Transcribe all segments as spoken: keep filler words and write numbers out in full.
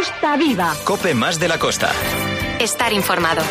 Costa Viva. COPE más de la costa. Estar informado.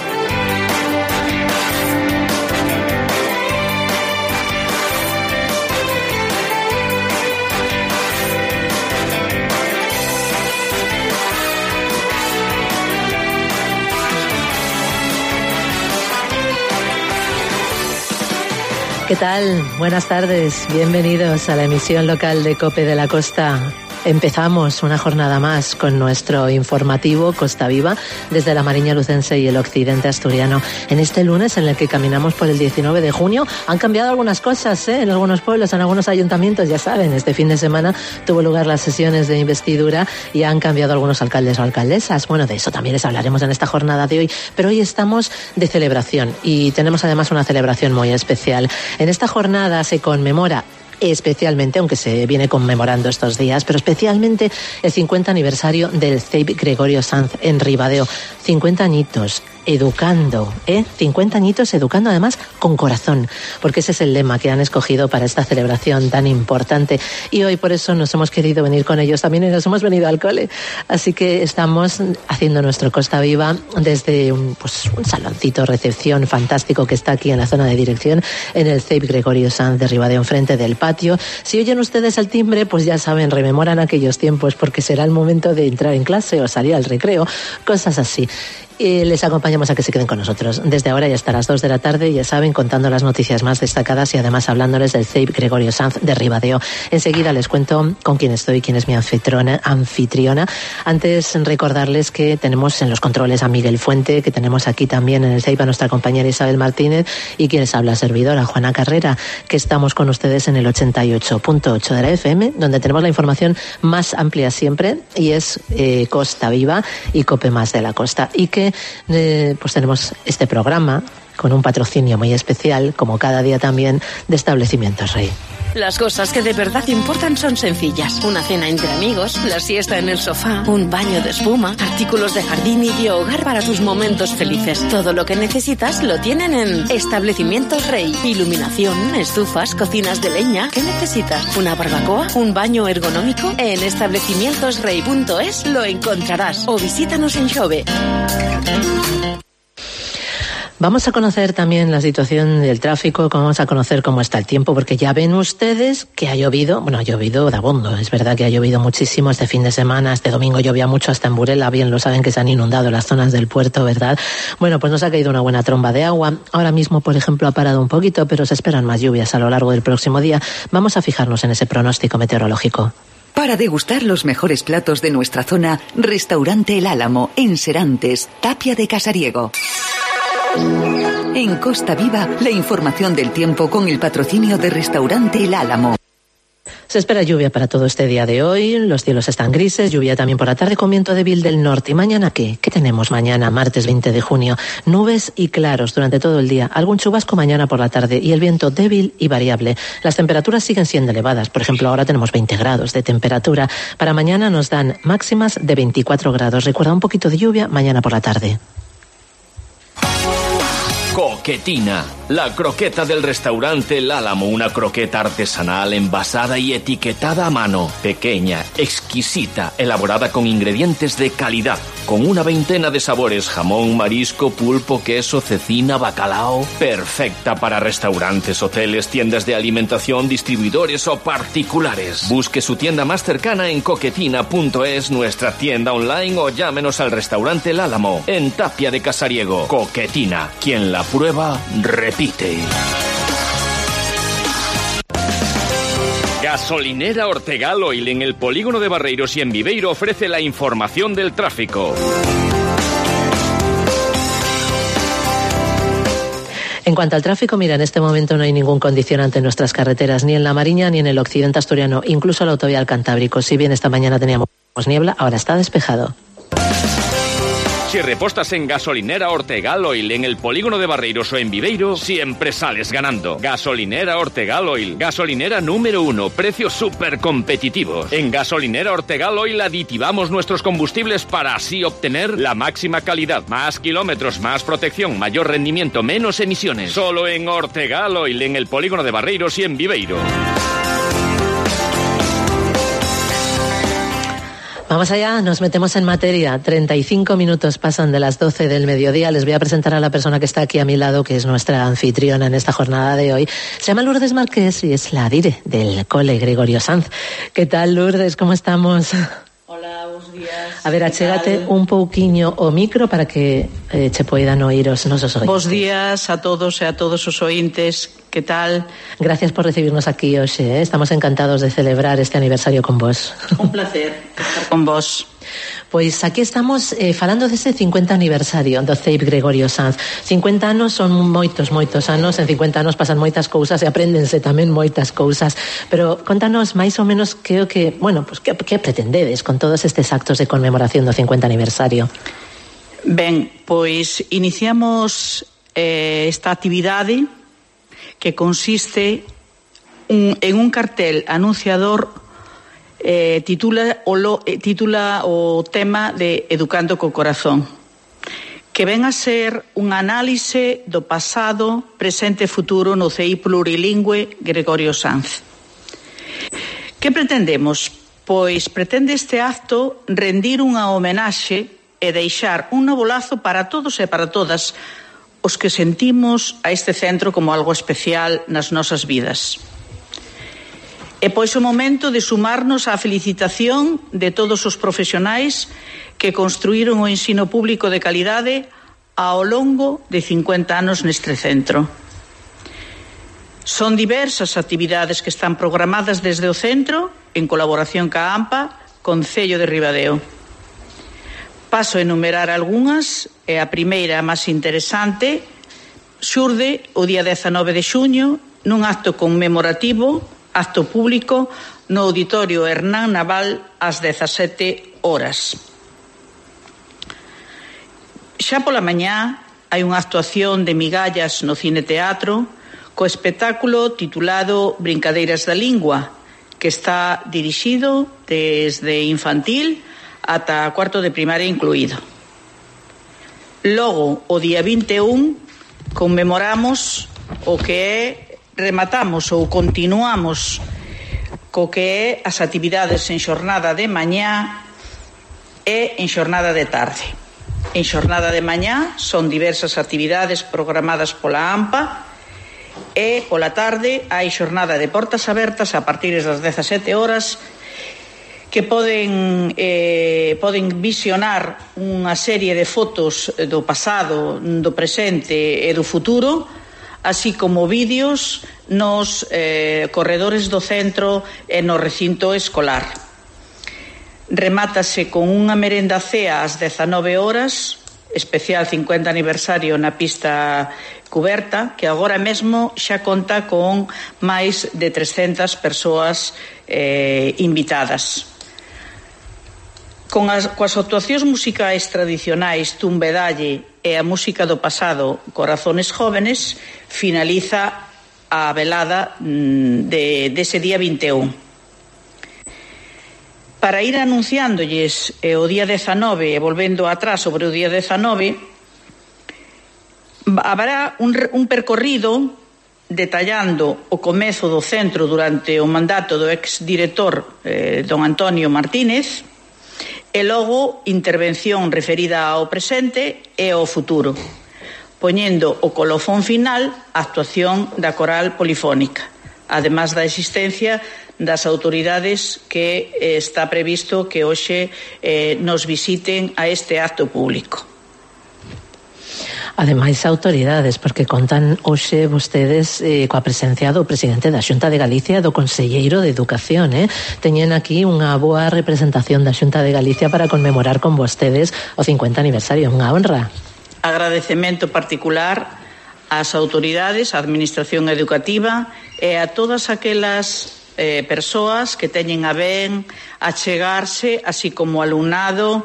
¿Qué tal? Buenas tardes. Bienvenidos a la emisión local de COPE de la Costa. Empezamos una jornada más con nuestro informativo Costa Viva desde la Mariña Lucense y el occidente asturiano. En este lunes en el que caminamos por el diecinueve de junio han cambiado algunas cosas ¿eh? en algunos pueblos, en algunos ayuntamientos, ya saben. Este fin de semana tuvo lugar las sesiones de investidura y han cambiado algunos alcaldes o alcaldesas. Bueno, de eso también les hablaremos en esta jornada de hoy, pero hoy estamos de celebración y tenemos además una celebración muy especial. En esta jornada se conmemora especialmente, aunque se viene conmemorando estos días, pero especialmente el cincuenta aniversario del C E I P Gregorio Sanz en Ribadeo. cincuenta añitos educando, ¿eh? cincuenta añitos educando, además con corazón, porque ese es el lema que han escogido para esta celebración tan importante. Y hoy por eso nos hemos querido venir con ellos también y nos hemos venido al cole. Así que estamos haciendo nuestro Costa Viva desde un, pues, un saloncito recepción fantástico que está aquí en la zona de dirección, en el C E I P Gregorio Sanz de Ribadeo, enfrente del patio. Si oyen ustedes el timbre, pues ya saben, rememoran aquellos tiempos, porque será el momento de entrar en clase o salir al recreo, cosas así. Y les acompañamos a que se queden con nosotros desde ahora y hasta las dos de la tarde, ya saben, contando las noticias más destacadas y además hablándoles del C E I P Gregorio Sanz de Ribadeo. Enseguida les cuento con quién estoy, quién es mi anfitriona, anfitriona. Antes recordarles que tenemos en los controles a Miguel Fuente, que tenemos aquí también en el C E I P a nuestra compañera Isabel Martínez y quien les habla, servidora Juana Carrera, que estamos con ustedes en el ochenta y ocho punto ocho de la F M, donde tenemos la información más amplia siempre y es eh, Costa Viva y COPE más de la Costa. Y que Eh, pues tenemos este programa con un patrocinio muy especial, como cada día también, de Establecimientos Rey. Las cosas que de verdad importan son sencillas. Una cena entre amigos, la siesta en el sofá, un baño de espuma, artículos de jardín y de hogar para tus momentos felices. Todo lo que necesitas lo tienen en Establecimientos Rey. Iluminación, estufas, cocinas de leña. ¿Qué necesitas? ¿Una barbacoa? ¿Un baño ergonómico? En establecimientos rey punto es lo encontrarás. O visítanos en Xove. Vamos a conocer también la situación del tráfico, vamos a conocer cómo está el tiempo, porque ya ven ustedes que ha llovido, bueno, ha llovido de abondo, es verdad que ha llovido muchísimo este fin de semana, este domingo llovía mucho hasta en Burela, bien lo saben que se han inundado las zonas del puerto, ¿verdad? Bueno, pues nos ha caído una buena tromba de agua, ahora mismo, por ejemplo, ha parado un poquito, pero se esperan más lluvias a lo largo del próximo día. Vamos a fijarnos en ese pronóstico meteorológico. Para degustar los mejores platos de nuestra zona, Restaurante El Álamo, en Serantes, Tapia de Casariego. En Costa Viva, la información del tiempo con el patrocinio de Restaurante El Álamo. Se espera lluvia para todo este día de hoy, los cielos están grises, lluvia también por la tarde con viento débil del norte. ¿Y mañana qué? ¿Qué tenemos mañana, martes veinte de junio? Nubes y claros durante todo el día, algún chubasco mañana por la tarde y el viento débil y variable. Las temperaturas siguen siendo elevadas, por ejemplo ahora tenemos veinte grados de temperatura. Para mañana nos dan máximas de veinticuatro grados. Recuerda, un poquito de lluvia mañana por la tarde. Coquetina, la croqueta del restaurante El Álamo, una croqueta artesanal envasada y etiquetada a mano, pequeña, exquisita, elaborada con ingredientes de calidad, con una veintena de sabores, jamón, marisco, pulpo, queso, cecina, bacalao, perfecta para restaurantes, hoteles, tiendas de alimentación, distribuidores o particulares. Busque su tienda más cercana en coquetina punto es, nuestra tienda online, o llámenos al restaurante El Álamo, en Tapia de Casariego. Coquetina, quien la prueba, repite. Gasolinera Ortegal Oil en el polígono de Barreiros y en Viveiro ofrece la información del tráfico. En cuanto al tráfico, mira, en este momento no hay ningún condicionante en nuestras carreteras, ni en la Mariña ni en el occidente asturiano, incluso la autovía al Cantábrico. Si bien esta mañana teníamos niebla, ahora está despejado. Si repostas en Gasolinera Ortegal Oil en el polígono de Barreiros o en Viveiro, siempre sales ganando. Gasolinera Ortegal Oil, gasolinera número uno, precios súper competitivos. En Gasolinera Ortegal Oil aditivamos nuestros combustibles para así obtener la máxima calidad, más kilómetros, más protección, mayor rendimiento, menos emisiones. Solo en Ortegal Oil en el polígono de Barreiros y en Viveiro. Vamos allá, nos metemos en materia. treinta y cinco minutos pasan de las doce del mediodía. Les voy a presentar a la persona que está aquí a mi lado, que es nuestra anfitriona en esta jornada de hoy. Se llama Lourdes Márquez y es la dire del Cole Gregorio Sanz. ¿Qué tal, Lourdes? ¿Cómo estamos? Hola, buenos días. A ver, achégate un pouquiño o micro para que eh, che poidan oíros nosos ointes. Bos días a todos e a todos os ointes. Que tal? Gracias por recibirnos aquí hoxe, eh? Estamos encantados de celebrar este aniversario con vos. Un placer estar con vos. Pois aquí estamos eh, falando dese cincuenta aniversario do C E I P Gregorio Sanz. cincuenta anos son moitos, moitos anos. En cincuenta anos pasan moitas cousas e apréndense tamén moitas cousas. Pero contanos máis ou menos que o que, bueno, pues que, que pretendedes con todos estes actos de conmemoración do cincuenta aniversario. Ben, pois iniciamos eh, esta actividade que consiste un, en un cartel anunciador. Eh, titula, o lo, eh, titula o tema de Educando co Corazón, que ven a ser un análise do pasado, presente e futuro no C E I plurilingüe Gregorio Sanz. Que pretendemos? Pois pretende este acto rendir unha homenaxe e deixar un novo lazo para todos e para todas os que sentimos a este centro como algo especial nas nosas vidas. E pois o momento de sumarnos á felicitación de todos os profesionais que construíron o ensino público de calidade ao longo de cincuenta anos neste centro. Son diversas actividades que están programadas desde o centro, en colaboración ca AMPA, Concello de Ribadeo. Paso a enumerar algunhas, e a primeira, a máis interesante, xurde o día dezanove de xuño nun acto conmemorativo, acto público no Auditorio Hernán Naval ás dezasete horas. Xa pola mañá hai unha actuación de migallas no Cine Teatro co espectáculo titulado Brincadeiras da Lingua, que está dirixido desde infantil ata cuarto de primaria incluído. Logo, o día vinte e un, conmemoramos o que é rematamos ou continuamos co que é as actividades en xornada de mañá e en xornada de tarde. En xornada de mañá son diversas actividades programadas pola AMPA e pola tarde hai xornada de portas abertas a partir das dezasete horas que poden eh, poden visionar unha serie de fotos do pasado, do presente e do futuro, así como vídeos nos eh, corredores do centro e no recinto escolar. Remátase con unha merenda cea ás dezanove horas, especial cincuenta aniversario na pista cuberta, que agora mesmo xa conta con máis de trescentas persoas eh, invitadas. Con as, coas actuacións musicais tradicionais Tumbedalle e a música do pasado Corazones Jóvenes, finaliza a velada de, dese día vinte e un. Para ir anunciándolles eh, o día dezanove e volvendo atrás sobre o día dezanove, haberá un, un percorrido detallando o comezo do centro durante o mandato do exdirector eh, don Antonio Martínez, e logo intervención referida ao presente e ao futuro, poñendo o colofón final a actuación da coral polifónica, además da existencia das autoridades que eh, está previsto que hoxe eh, nos visiten a este acto público. Ademais, autoridades, porque contan hoxe vostedes eh, coa presencia do presidente da Xunta de Galicia e do conselleiro de Educación, eh? Teñen aquí unha boa representación da Xunta de Galicia para conmemorar con vostedes o cincuenta aniversario, unha honra. Agradecemento particular ás autoridades, á administración educativa e a todas aquelas eh, persoas que teñen a ben achegarse, así como alumnado,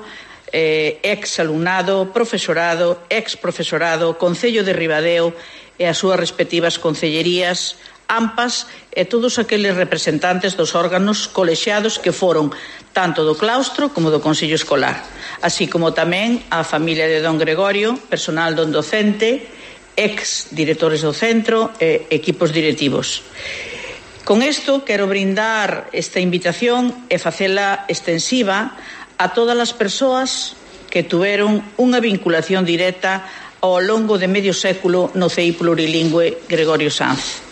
Eh, ex-alumnado, profesorado, ex-profesorado, Concello de Ribadeo e as súas respectivas concellerías, AMPAs e todos aqueles representantes dos órganos colexiados que foron tanto do claustro como do Consello Escolar, así como tamén a familia de don Gregorio, personal don docente, ex-directores do centro e equipos directivos. Con isto quero brindar esta invitación e facela extensiva a todas as persoas que tuveron unha vinculación directa ao longo de medio século no C I plurilingüe Gregorio Sanz.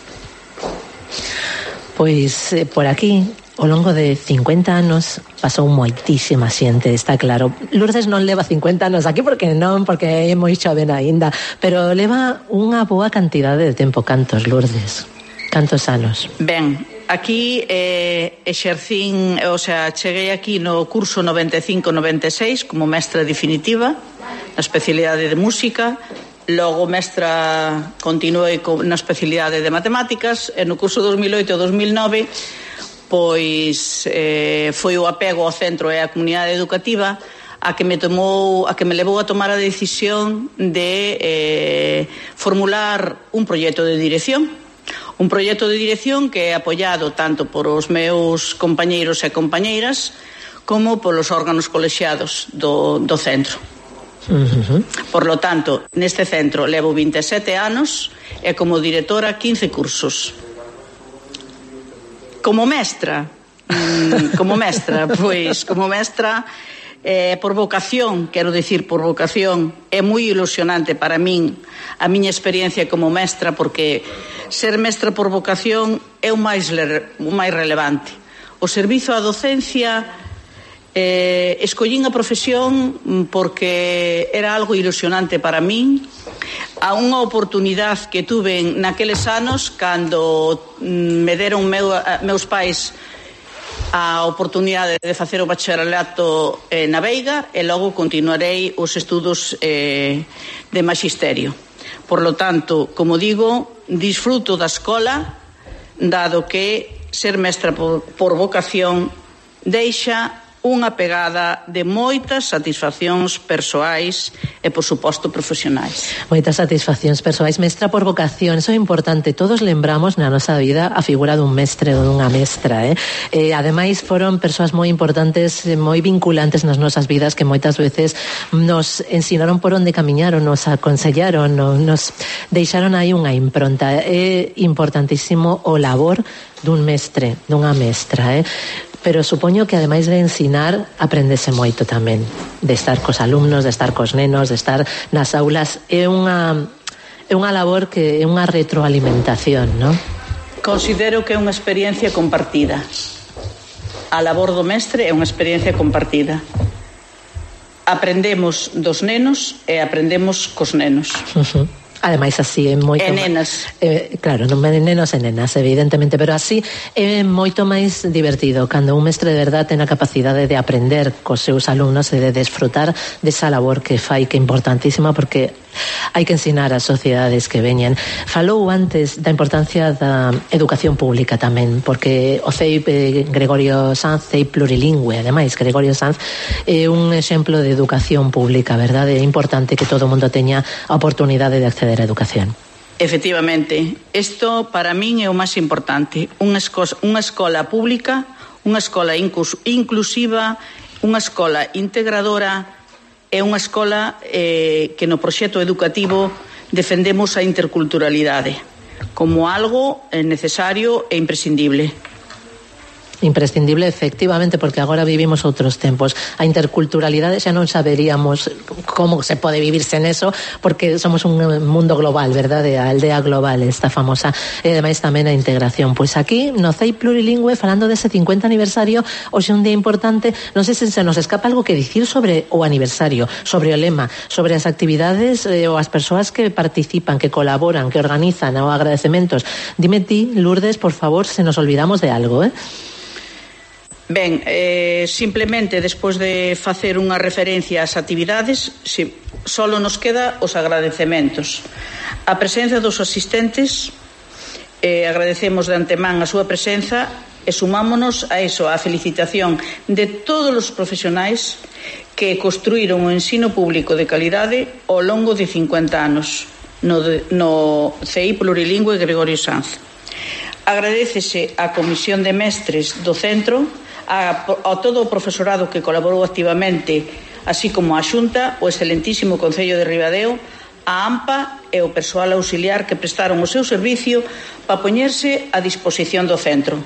Pois eh, por aquí, ao longo de cincuenta anos, pasou moitísima xente, está claro. Lourdes non leva cincuenta anos aquí porque non, porque é moi xoven aínda, pero leva unha boa cantidade de tempo. Cantos, Lourdes? Cantos anos? Ben, aquí eh, exercín, o sea, cheguei aquí no curso noventa e cinco noventa e seis como mestra definitiva na especialidade de música. Logo mestra continuei na especialidade de matemáticas e no curso dos mil oito e dos mil nove pois eh, foi o apego ao centro e á comunidade educativa a que me tomou, a que me levou a tomar a decisión de eh, formular un proxecto de dirección. Un proxecto de dirección que é apoiado tanto por os meus compañeiros e compañeiras como polos órganos colexiados do, do centro. Uh-huh. Por lo tanto, neste centro levo vinte e sete anos e como directora quince cursos. Como mestra, mmm, como mestra, pois como mestra eh, por vocación, quero dicir por vocación, é moi ilusionante para min a miña experiencia como mestra, porque ser mestra por vocación é o máis, o máis relevante. O servizo á docencia, Eh, escollín a profesión porque era algo ilusionante para min, a unha oportunidade que tuve naqueles anos cando me deron meu, a, meus pais a oportunidade de facer o bacharelato eh, na Veiga e logo continuarei os estudos eh, de maxisterio. Por lo tanto, como digo, disfruto da escola, dado que ser mestra por, por vocación deixa unha pegada de moitas satisfaccións persoais e, por suposto, profesionais. Moitas satisfaccións persoais. Mestra por vocación, eso é importante. Todos lembramos na nosa vida a figura dun mestre ou dunha mestra, eh? eh ademais, foron persoas moi importantes, moi vinculantes nas nosas vidas, que moitas veces nos ensinaron por onde camiñaron, nos aconsellaron, nos deixaron aí unha impronta. É importantísimo o labor dun mestre, dunha mestra, eh? Pero supoño que ademais de ensinar aprendese moito tamén, de estar cos alumnos, de estar cos nenos, de estar nas aulas. É unha é unha labor que é unha retroalimentación, non? Considero que é unha experiencia compartida. A labor do mestre é unha experiencia compartida. Aprendemos dos nenos e aprendemos cos nenos. Uh-huh. Ademais, así é moito... E nenas. Eh, claro, non nenos e nenas, evidentemente, pero así é moito máis divertido cando un mestre de verdade ten a capacidade de aprender cos seus alumnos e de desfrutar desa labor que fai, que é importantísima, porque hai que ensinar ás sociedades que veñen. Falou antes da importancia da educación pública tamén, porque o C I P Gregorio Sanz, C I P plurilingüe, ademais, Gregorio Sanz é un exemplo de educación pública, verdade? É importante que todo o mundo teña a oportunidade de acceder a educación. Efectivamente, isto para min é o máis importante. Unha escola, unha escola pública, unha escola inclus, inclusiva, unha escola integradora, é unha escola eh, que no proxecto educativo defendemos a interculturalidade como algo necesario e imprescindible. Imprescindible, efectivamente, porque agora vivimos outros tempos. A interculturalidade xa non saberíamos como se pode vivirse neso, porque somos un mundo global, verdade? A aldea global, esta famosa, e ademais tamén a integración. Pois aquí, no C I P plurilingüe, falando dese cincuenta aniversario, hoxe un día importante, non sei se se nos escapa algo que dicir sobre o aniversario, sobre o lema, sobre as actividades eh, ou as persoas que participan, que colaboran, que organizan, ou agradecementos. Dime ti, Lourdes, por favor, se nos olvidamos de algo, eh? Ben, eh, simplemente despois de facer unha referencia ás actividades, si, solo nos queda os agradecementos. A presenza dos asistentes, eh, agradecemos de antemán a súa presenza e sumámonos a eso, a felicitación de todos os profesionais que construíron o ensino público de calidade ao longo de cincuenta anos no, de, no C I plurilingüe Gregorio Sanz. Agradécese á Comisión de Mestres do Centro, a, a todo o profesorado que colaborou activamente, así como a Xunta, o excelentísimo Concello de Ribadeo, a AMPA e o persoal auxiliar que prestaron o seu servicio para poñerse a disposición do centro,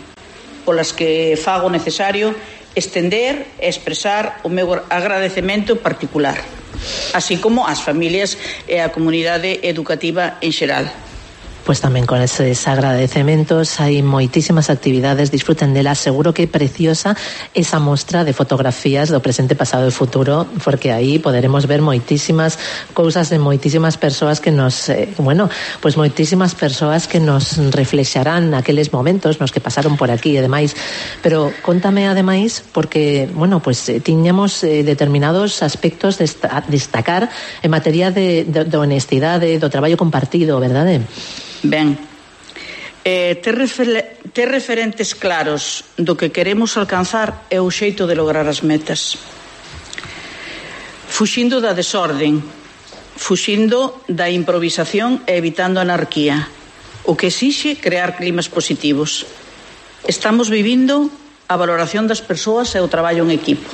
polas que fago necesario estender e expresar o meu agradecemento particular, así como ás familias e á comunidade educativa en xeral. Pues tamén con eses agradecementos hai moitísimas actividades, disfruten delas, seguro que é preciosa esa mostra de fotografías do presente, pasado e futuro, porque aí poderemos ver moitísimas cousas de moitísimas persoas que nos, eh, bueno, pues moitísimas persoas que nos reflexarán aqueles momentos nos que pasaron por aquí e demais. Pero contame ademais, porque, bueno, pues eh, tiñamos eh, determinados aspectos de destacar en materia de, de, de honestidade, do traballo compartido, verdade? Ben, eh, ter, refer, ter referentes claros do que queremos alcanzar é o xeito de lograr as metas. Fuxindo da desorden, fuxindo da improvisación e evitando a anarquía, o que exixe crear climas positivos. Estamos vivindo a valoración das persoas e o traballo en equipo,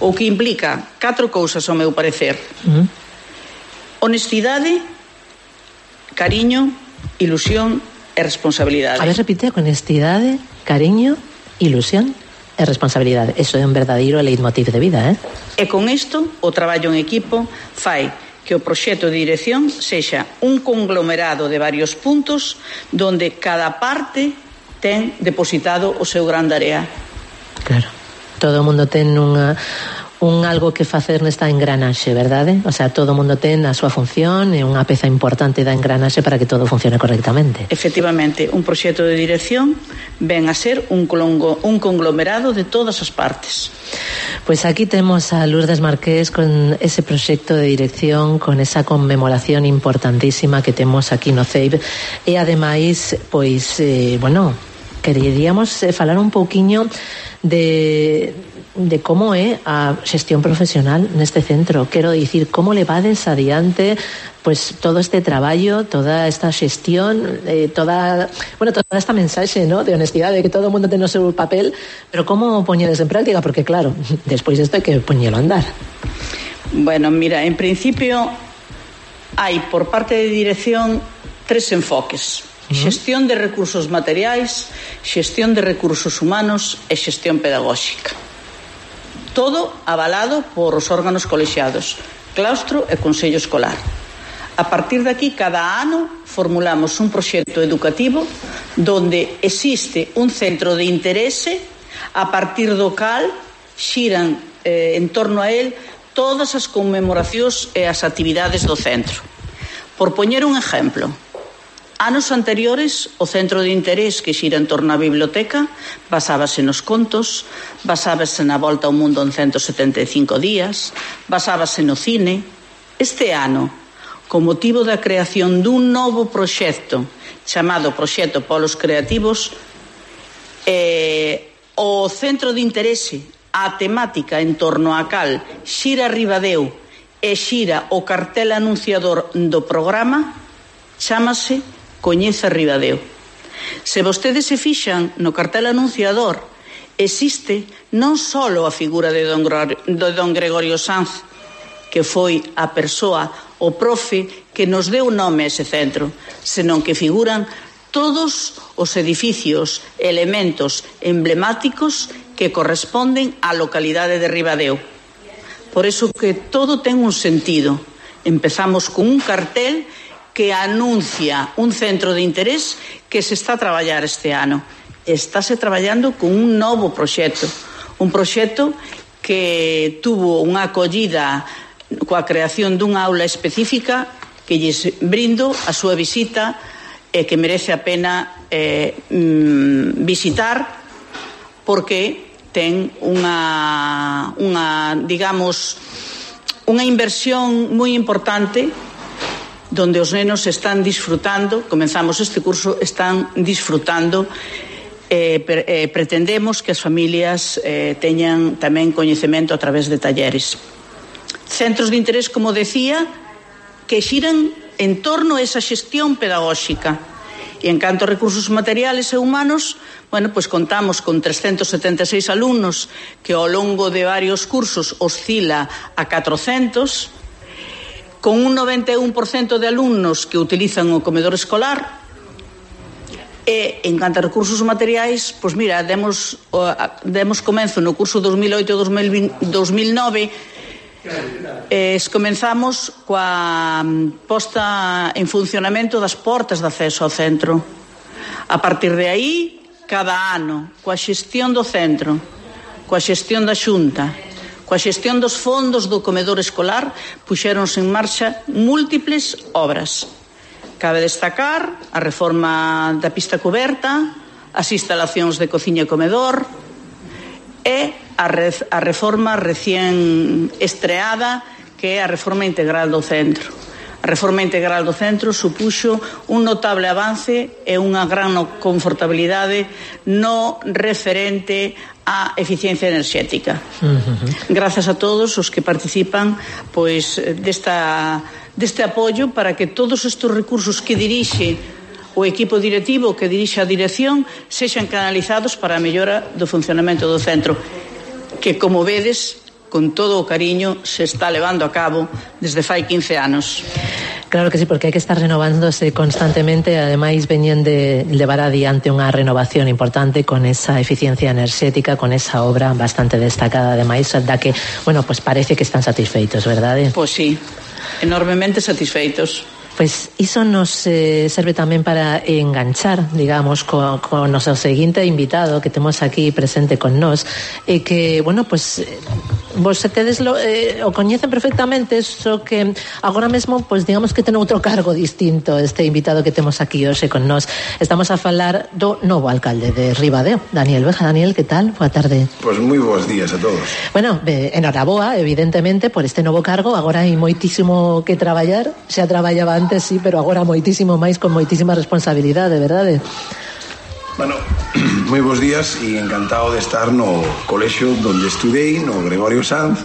o que implica catro cousas, ao meu parecer. Uh-huh. Honestidade, cariño, ilusión e responsabilidade. A ver, repite, honestidade, cariño, ilusión e responsabilidade. Eso é un verdadeiro leitmotiv de vida, eh? E con isto, o traballo en equipo fai que o proxecto de dirección sexa un conglomerado de varios puntos donde cada parte ten depositado o seu gran tarea. Claro. Todo o mundo ten unha un algo que facer nesta engranaxe, verdade? O sea, todo o mundo ten a súa función e unha peza importante da engranaxe para que todo funcione correctamente. Efectivamente, un proxecto de dirección ven a ser un, colongo, un conglomerado de todas as partes. Pois aquí temos a Lourdes Marqués con ese proxecto de dirección, con esa conmemoración importantísima que temos aquí no C E I B e ademais, pois, eh, bueno, queríamos eh, falar un pouquiño de de como é a xestión profesional neste centro. Quero dicir, como levades adiante pues todo este traballo, toda esta xestión, eh, toda, bueno, toda esta mensaxe, ¿no?, de honestidade, de que todo o mundo ten o seu papel, pero como poñedes en práctica, porque claro, despois isto hai que poñelo a andar. Bueno, mira, en principio hai por parte de dirección tres enfoques: uh-huh. xestión de recursos materiais, xestión de recursos humanos e xestión pedagóxica. Todo avalado por os órganos colexiados, claustro e consello escolar. A partir de aquí, cada ano formulamos un proxecto educativo donde existe un centro de interese a partir do cal xiran eh, en torno a él todas as conmemoracións e as actividades do centro. Por poñer un exemplo, anos anteriores, o centro de interés que xira en torno á biblioteca basábase nos contos, basábase na volta ao mundo en ciento setenta e cinco días, basábase no cine. Este ano, con motivo da creación dun novo proxecto chamado Proxecto Polos Creativos, eh, o centro de interese, a temática en torno á cal xira Ribadeo e xira o cartel anunciador do programa, chámase Coñeza Ribadeo. Se vostedes se fixan no cartel anunciador, existe non só a figura de don, de don Gregorio Sanz, que foi a persoa, o profe, que nos deu nome a ese centro, senón que figuran todos os edificios, elementos emblemáticos que corresponden á localidade de Ribadeo. Por iso que todo ten un sentido. Empezamos con un cartel que anuncia un centro de interés que se está a traballar este ano. Estáse traballando con un novo proxecto, un proxecto que tuvo unha acollida coa creación dunha aula específica que lles brindo a súa visita e que merece a pena eh, mm, visitar, porque ten unha, unha, digamos, unha inversión moi importante donde os nenos están disfrutando, comenzamos este curso, están disfrutando, eh, pre, eh, pretendemos que as familias eh, teñan tamén coñecemento a través de talleres. Centros de interés, como decía, que xiran en torno a esa xestión pedagóxica. E en canto a recursos materiales e humanos, bueno, pues contamos con trescentos setenta e seis alumnos que ao longo de varios cursos oscila a catrocentos, con un noventa e un por cento de alumnos que utilizan o comedor escolar, E, en canto a recursos materiais, pois mira, demos, demos comenzo no curso dos mil oito a dos mil nove. Eh, comenzamos coa posta en funcionamento das portas de acceso ao centro. A partir de aí, cada ano, coa xestión do centro, coa xestión da Xunta, coa xestión dos fondos do comedor escolar, puxéronse en marcha múltiples obras. Cabe destacar a reforma da pista coberta, as instalacións de cociña e comedor e a, re, a reforma recén estreada, que é a reforma integral do centro. A reforma integral do centro supuxo un notable avance e unha gran confortabilidade no referente á eficiencia enerxética. Uh-huh. Grazas a todos os que participan pois desta, deste apoio para que todos estes recursos que dirixe o equipo directivo, que dirixe a dirección, sexan canalizados para a mellora do funcionamento do centro, que, como vedes, con todo o cariño, se está levando a cabo desde fai quince anos. Claro que sí, porque hai que estar renovándose constantemente, e ademais veñen de levar adiante unha renovación importante con esa eficiencia enerxética, con esa obra bastante destacada, ademais, da que, bueno, pues parece que están satisfeitos, verdade? Pois sí, enormemente satisfeitos. Pois iso nos eh, serve tamén para enganchar, digamos, co, co noso seguinte invitado que temos aquí presente con nós, e que, bueno, pues vos tedes lo, eh, o coñecen perfectamente, só que agora mesmo, pues digamos que ten outro cargo distinto este invitado que temos aquí hoxe con nós. Estamos a falar do novo alcalde de Ribadeo, Daniel Beja. Daniel, que tal? Boa tarde. Pois pues moi bons días a todos. Bueno, eh, enhoraboa, evidentemente, por este novo cargo. Agora hai moitísimo que traballar, xa traballaba antes, sí, pero agora moitísimo máis, con moitísima responsabilidade, verdade? Bueno, moi bons días e encantado de estar no colexio donde estudei, no Gregorio Sanz,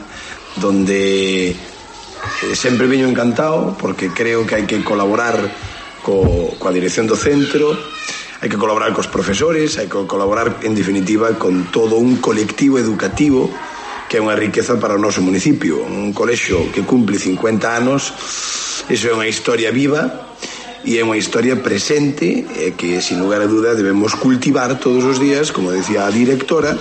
donde eh, sempre veño encantado, porque creo que hai que colaborar co, coa dirección do centro, hai que colaborar cos profesores, hai que colaborar, en definitiva, con todo un colectivo educativo que é unha riqueza para o noso municipio. Un colexio que cumple cincuenta anos, iso é unha historia viva e é unha historia presente e que, sin lugar a duda, debemos cultivar todos os días, como decía a directora,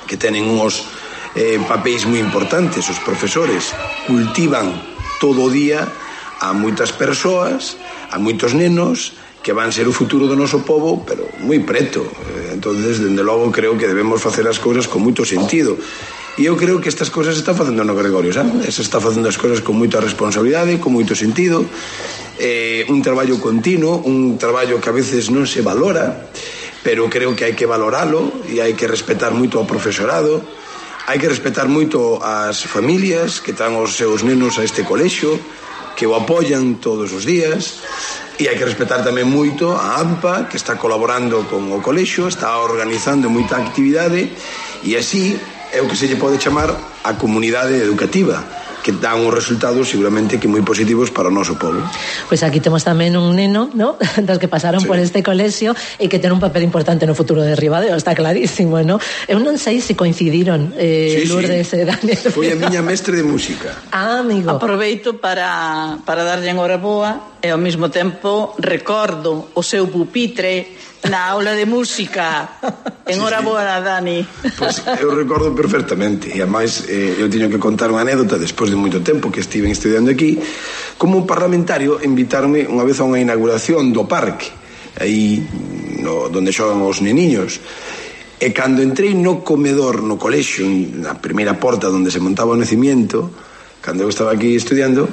que tenen uns eh, papéis moi importantes. Os profesores cultivan todo o día a moitas persoas, a moitos nenos que van ser o futuro do noso povo, pero moi preto. Entonces, dende logo, creo que debemos facer as cousas con moito sentido. E eu creo que estas cousas se están facendo no Gregorio, sabe? Se está facendo as cousas con moita responsabilidade, con moito sentido, eh, un traballo continuo, un traballo que a veces non se valora, pero creo que hai que valoralo e hai que respetar moito ao profesorado, hai que respetar moito ás familias que traen os seus nenos a este colexio, que o apoian todos os días, e hai que respetar tamén moito a AMPA, que está colaborando con o colexio, está organizando moita actividade, e así é o que se lle pode chamar a comunidade educativa, que dan uns resultados seguramente que moi positivos para o noso povo. Pois aquí temos tamén un neno, ¿no?, dos que pasaron sí. por este colexio e que ten un papel importante no futuro de Ribadeo, está clarísimo, ¿no? Eu non sei se coincidiron eh, sí, Lourdes sí. e Daniel. Foi a miña mestre de música. Ah, amigo. Aproveito para, para darlle enhoraboa e ao mesmo tempo recordo o seu pupitre na aula de música. Enhoraboa, sí, sí. Dani. Pois pues, eu recordo perfectamente. E ademais eh, eu teño que contar unha anécdota despois de moito tempo que estive estudiando aquí. Como parlamentario invitarme unha vez a unha inauguración do parque aí no, donde xogan os neniños. E cando entrei no comedor, no colexio, na primeira porta onde se montaba o nacimiento, cando eu estaba aquí estudiando,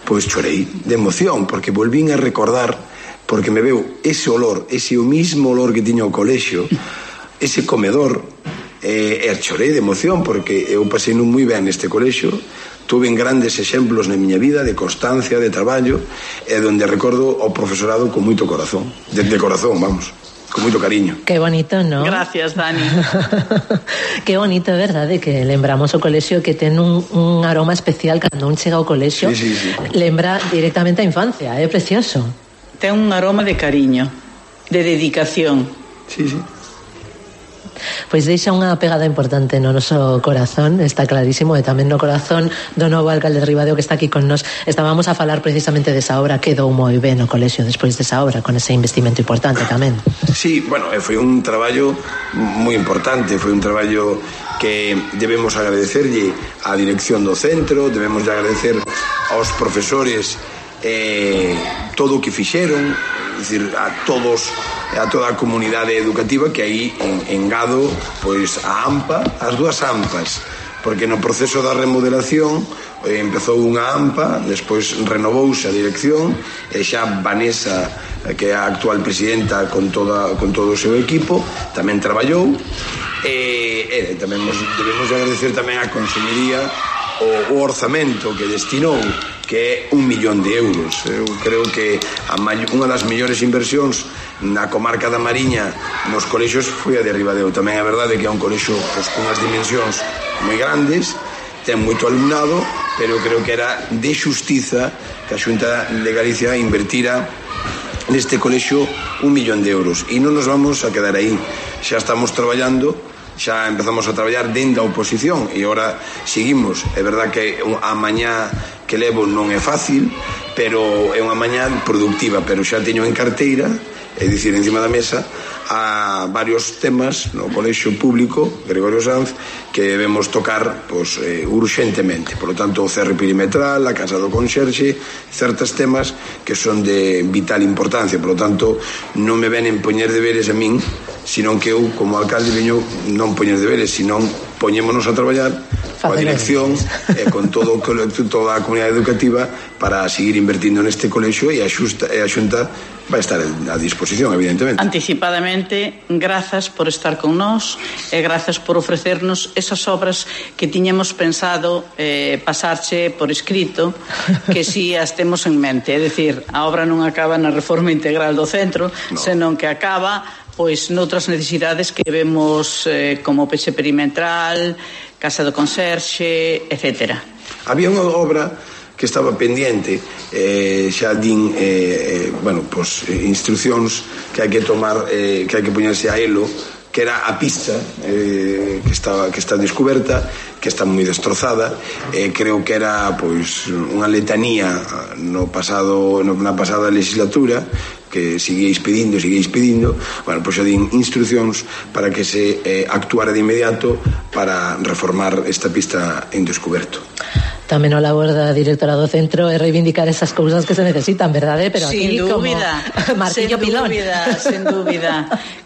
pois chorei de emoción, porque volvín a recordar, porque me veo ese olor, ese o mismo olor que tiña o colexio, ese comedor, eh, e chorei de emoción, porque eu pasei non moi ben neste colexio, tuve grandes exemplos na miña vida de constancia, de traballo, e donde recordo o profesorado con moito corazón, de, de corazón, vamos, con moito cariño. Qué bonito, ¿no? Gracias, Dani. Qué bonito, verdade, que lembramos o colexio, que ten un, un aroma especial cando un chega ao colexio, sí, sí, sí. Lembra directamente a infancia, é precioso. Ten un aroma de cariño, de dedicación. Sí, sí. Pois deixa unha pegada importante no noso corazón, está clarísimo, e tamén no corazón do novo alcalde de Ribadeo que está aquí con nós. Estábamos a falar precisamente desa obra, quedou moi ben o colexio despois desa obra, con ese investimento importante tamén. Sí, bueno, foi un traballo moi importante, foi un traballo que debemos agradecerlle á dirección do centro, debemos de agradecer aos profesores eh, todo o que fixeron, é dicir, a todos, a toda a comunidade educativa, que aí en, engado pois a AMPA, as dúas AMPAs, porque no proceso da remodelación eh, empezou unha AMPA, despois renovouse a dirección e xa Vanessa, que é a actual presidenta, con, toda, con todo o seu equipo tamén traballou, e, e tamén nos debemos de agradecer tamén a Consellería o, o orzamento que destinou, que é un millón de euros. Eu creo que a unha das mellores inversións na comarca da Mariña nos colexios foi a de Ribadeo. Tamén é verdade que é un colexio pois, con unhas dimensións moi grandes, ten moito alumnado, pero creo que era de xustiza que a Xunta de Galicia invertira neste colexio un millón de euros. E non nos vamos a quedar aí, xa estamos traballando, xa empezamos a traballar dentro da oposición e agora seguimos. É verdad que a mañá que levo non é fácil, pero é unha mañá productiva, pero xa teño en carteira, é dicir, encima da mesa, a varios temas no colexio público Gregorio Sanz que debemos tocar pois, eh, urxentemente. Por lo tanto, o cerre perimetral, a casa do conxerxe, certos temas que son de vital importancia. Por lo tanto, non me ven en poñer deberes a min, senón que eu, como alcalde, veño non poñer deberes, senón poñémonos a traballar coa dirección e con todo, toda a comunidade educativa para seguir invertindo neste colexio, e a Xunta, e a Xunta vai estar a disposición, evidentemente. Anticipadamente, grazas por estar con nós e grazas por ofrecernos esas obras que tiñamos pensado eh, pasarche por escrito, que si as temos en mente. É dicir, a obra non acaba na reforma integral do centro, no. senón que acaba pois noutras necesidades que vemos eh, como peche perimetral, casa do conserxe, etcétera. Había unha obra que estaba pendiente, eh, xa din eh, eh, bueno, pues, instruccións que hai que tomar, eh, que hai que poñerse a elo, que era a pista eh, que, estaba, que está descoberta, que está moi destrozada, eh, creo que era pois unha letanía no pasado, no, na pasada legislatura, que seguíais pedindo, seguíais pedindo, bueno, pois xa din instruccións para que se eh, actuara de inmediato para reformar esta pista en descoberto. Tamén o labor da directora do centro é reivindicar esas cousas que se necesitan, verdade? Pero sin aquí dúbida, como martillo sin pilón. Dúbida, sin dúbida.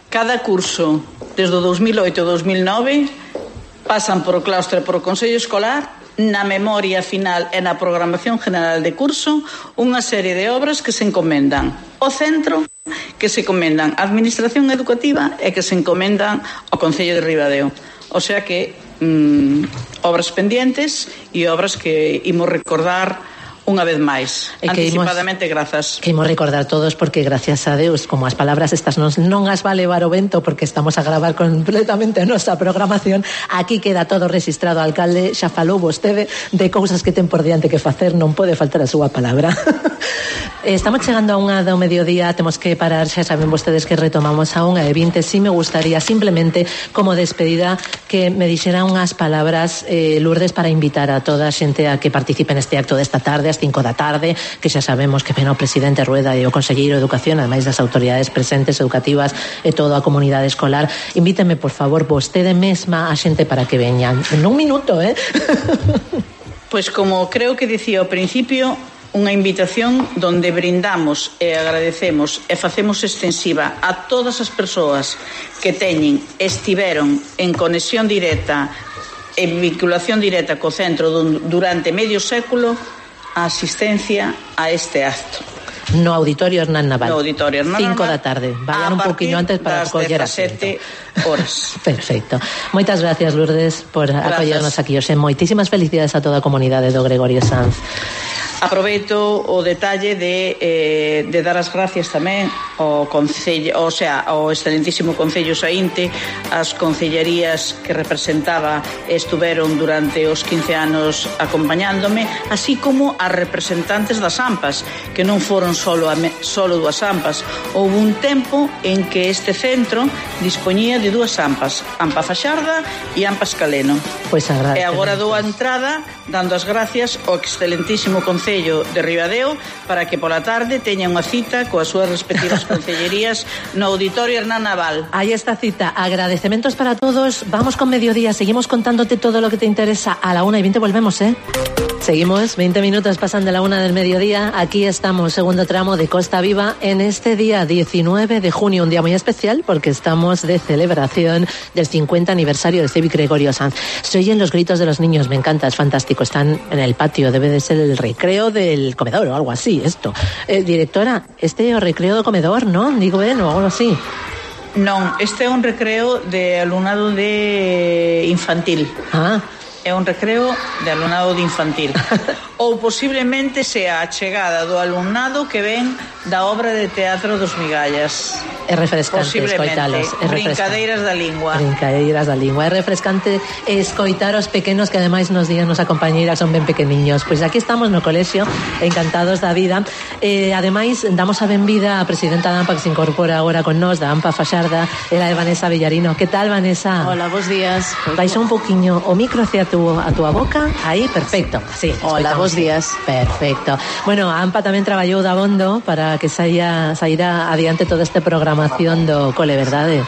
Cada curso, desde o dos mil oito ao dos mil nove, pasan por o claustro e por o Consello Escolar, na memoria final e na programación general de curso, unha serie de obras que se encomendan ao centro, que se encomendan á administración educativa e que se encomendan ao Concello de Ribadeo. O sea que mm, obras pendientes e obras que imos recordar unha vez máis, e que anticipadamente imos, grazas. Que imos recordar todos, porque gracias a Deus, como as palabras estas non, non as va levar o vento, porque estamos a gravar completamente a nosa programación, aquí queda todo registrado. Alcalde, xa falou vostede de cousas que ten por diante que facer, non pode faltar a súa palabra. Estamos chegando a unha do mediodía, temos que parar, xa saben vostedes que retomamos a unha e vinte. Si me gustaría simplemente, como despedida, que me dixera unhas palabras, eh, Lourdes, para invitar a toda a xente a que participe neste acto desta tarde, ás cinco da tarde, que xa sabemos que ven o presidente Rueda e o conselleiro de Educación, ademais das autoridades presentes educativas e toda a comunidade escolar. Invíteme, por favor, vostede mesma a xente para que veñan. En un minuto, eh? Pois como creo que dicía ao principio, unha invitación donde brindamos e agradecemos e facemos extensiva a todas as persoas que teñen, estiveron en conexión directa, en vinculación directa co centro durante medio século, a asistencia a este acto. No Auditorio Hernán Naval. No Auditorio Hernán cinco Naval. da tarde. Vayan un poquinho antes para coller asento. Horas. Perfecto. Moitas gracias, Lourdes, por acollernos aquí hoxe. Moitísimas felicidades a toda a comunidade do Gregorio Sanz. Aproveito o detalle de, eh, de dar as gracias tamén ao Concello, o sea, ao excelentísimo Concello Saínte, as concellerías que representaba estuveron durante os quince anos acompañándome, así como as representantes das AMPAs, que non foron solo, a me, solo dúas AMPAs. Houve un tempo en que este centro dispoñía de dúas AMPAs, AMPA Faxarda e AMPA Escaleno. Pois pues e agora dou a entrada dando as gracias ao excelentísimo Concello de Ribadeo para que pola tarde teña unha cita coas súas respectivas concellerías no Auditorio Hernán Naval. Ahí está cita. Agradecementos para todos. Vamos con mediodía. Seguimos contándote todo lo que te interesa. A la una y veinte volvemos, ¿eh? Seguimos, veinte minutos pasan de la una del mediodía. Aquí estamos, segundo tramo de Costa Viva, en este día diecinueve de junio, un día muy especial porque estamos de celebración del cincuenta aniversario del Cévic Gregorio Sanz. Se oyen los gritos de los niños, me encanta, es fantástico. Están en el patio, debe de ser el recreo del comedor o algo así, esto. Eh, directora, este é o recreo do comedor, ¿no? Digo, ben, o algo así. Non, este é un recreo de alumnado de infantil. Ah, é un recreo de alumnado de infantil. Ou posiblemente sea a chegada do alumnado que ven da obra de teatro dos Migallas. É refrescante escoitalos. É brincadeiras da lingua. Brincadeiras da lingua. É refrescante escoitar os pequenos que ademais nos días nos acompañeiras son ben pequeniños. Pois aquí estamos no colexio, encantados da vida. Eh, ademais, damos a benvida a presidenta da AMPA que se incorpora agora con nós, da AMPA Faxarda, ela é Vanessa Villarino. Que tal, Vanessa? Hola, bons días. Vais un poquinho o micro hacia tu, a tua boca. Aí, perfecto. Sí, hola, bons días. Perfecto. Bueno, a AMPA tamén traballou da bondo para que saia, saíra adiante toda esta programación do cole, verdade?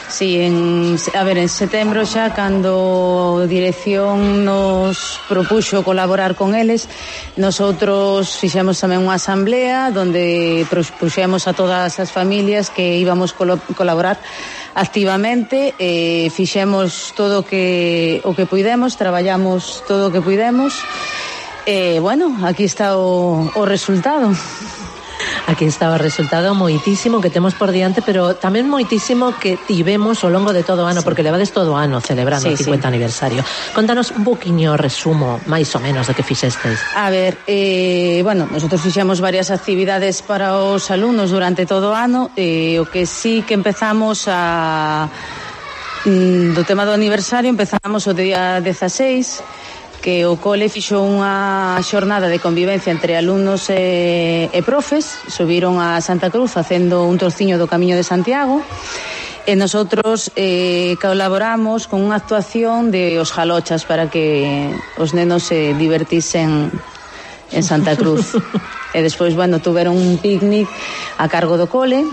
Sí, en, a ver, en setembro xa, cando a dirección nos propuxo colaborar con eles, nosotros fixemos tamén unha asamblea donde propuxemos a todas as familias que íbamos colo, colaborar activamente, eh, fixemos todo o que, o que puidemos, traballamos todo o que puidemos. Eh, bueno, aquí está o, o resultado. Aquí está o resultado moitísimo que temos por diante, pero tamén moitísimo que tivemos ao longo de todo o ano, sí, porque levades todo o ano celebrando sí, o cincuenta sí. aniversario. Contanos un poquinho resumo, máis ou menos, de que fixestes. A ver, eh, bueno, nosotros fixemos varias actividades para os alumnos durante todo o ano, eh, o que sí que empezamos a... do tema do aniversario, empezamos o día dezaseis, que o cole fixo unha xornada de convivencia entre alumnos e, e profes, subiron a Santa Cruz facendo un trociño do Camiño de Santiago, e nosotros eh, colaboramos con unha actuación de os jalochas para que os nenos se divertisen en Santa Cruz. E despois, bueno, tuveron un picnic a cargo do cole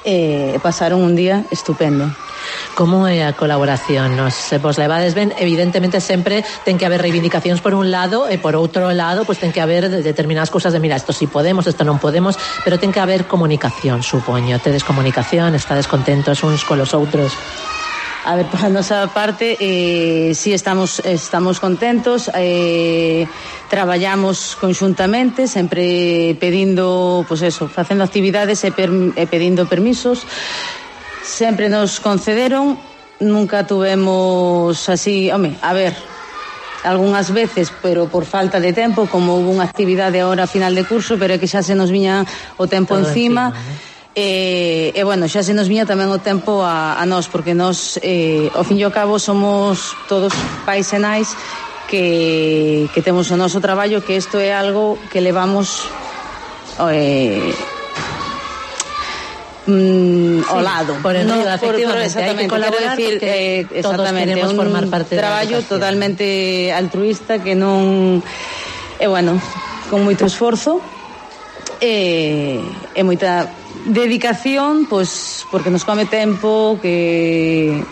e pasaron un día estupendo. Como é a colaboración? Nos se vos levades ben, evidentemente sempre ten que haber reivindicacións por un lado e por outro lado, pois ten que haber determinadas cousas de, mira, isto si podemos, isto non podemos, pero ten que haber comunicación, supoño. Tedes comunicación, estades contentos uns colos outros. A ver, por a nosa parte, eh, sí estamos estamos contentos, eh, traballamos conxuntamente, sempre pedindo, pois pues eso, facendo actividades e, per, e pedindo permisos. Sempre nos concederon, nunca tuvemos así, home, a ver, algunhas veces, pero por falta de tempo, como hubo unha actividade ahora a final de curso, pero é que xa se nos viña o tempo todo encima, encima ¿eh? e, e bueno, xa se nos viña tamén o tempo a, a nós, porque nós, eh, ao fin e ao cabo, somos todos pais e nais que, que temos o noso traballo, que isto é algo que levamos... Eh, Mm, ao lado, sí, por el no, medio, efectivamente, por, por, hai que colaborar decir, eh, todos queremos un formar parte traballo totalmente altruista que non é, bueno, con moito esforzo e, e moita dedicación, pois porque nos come tempo que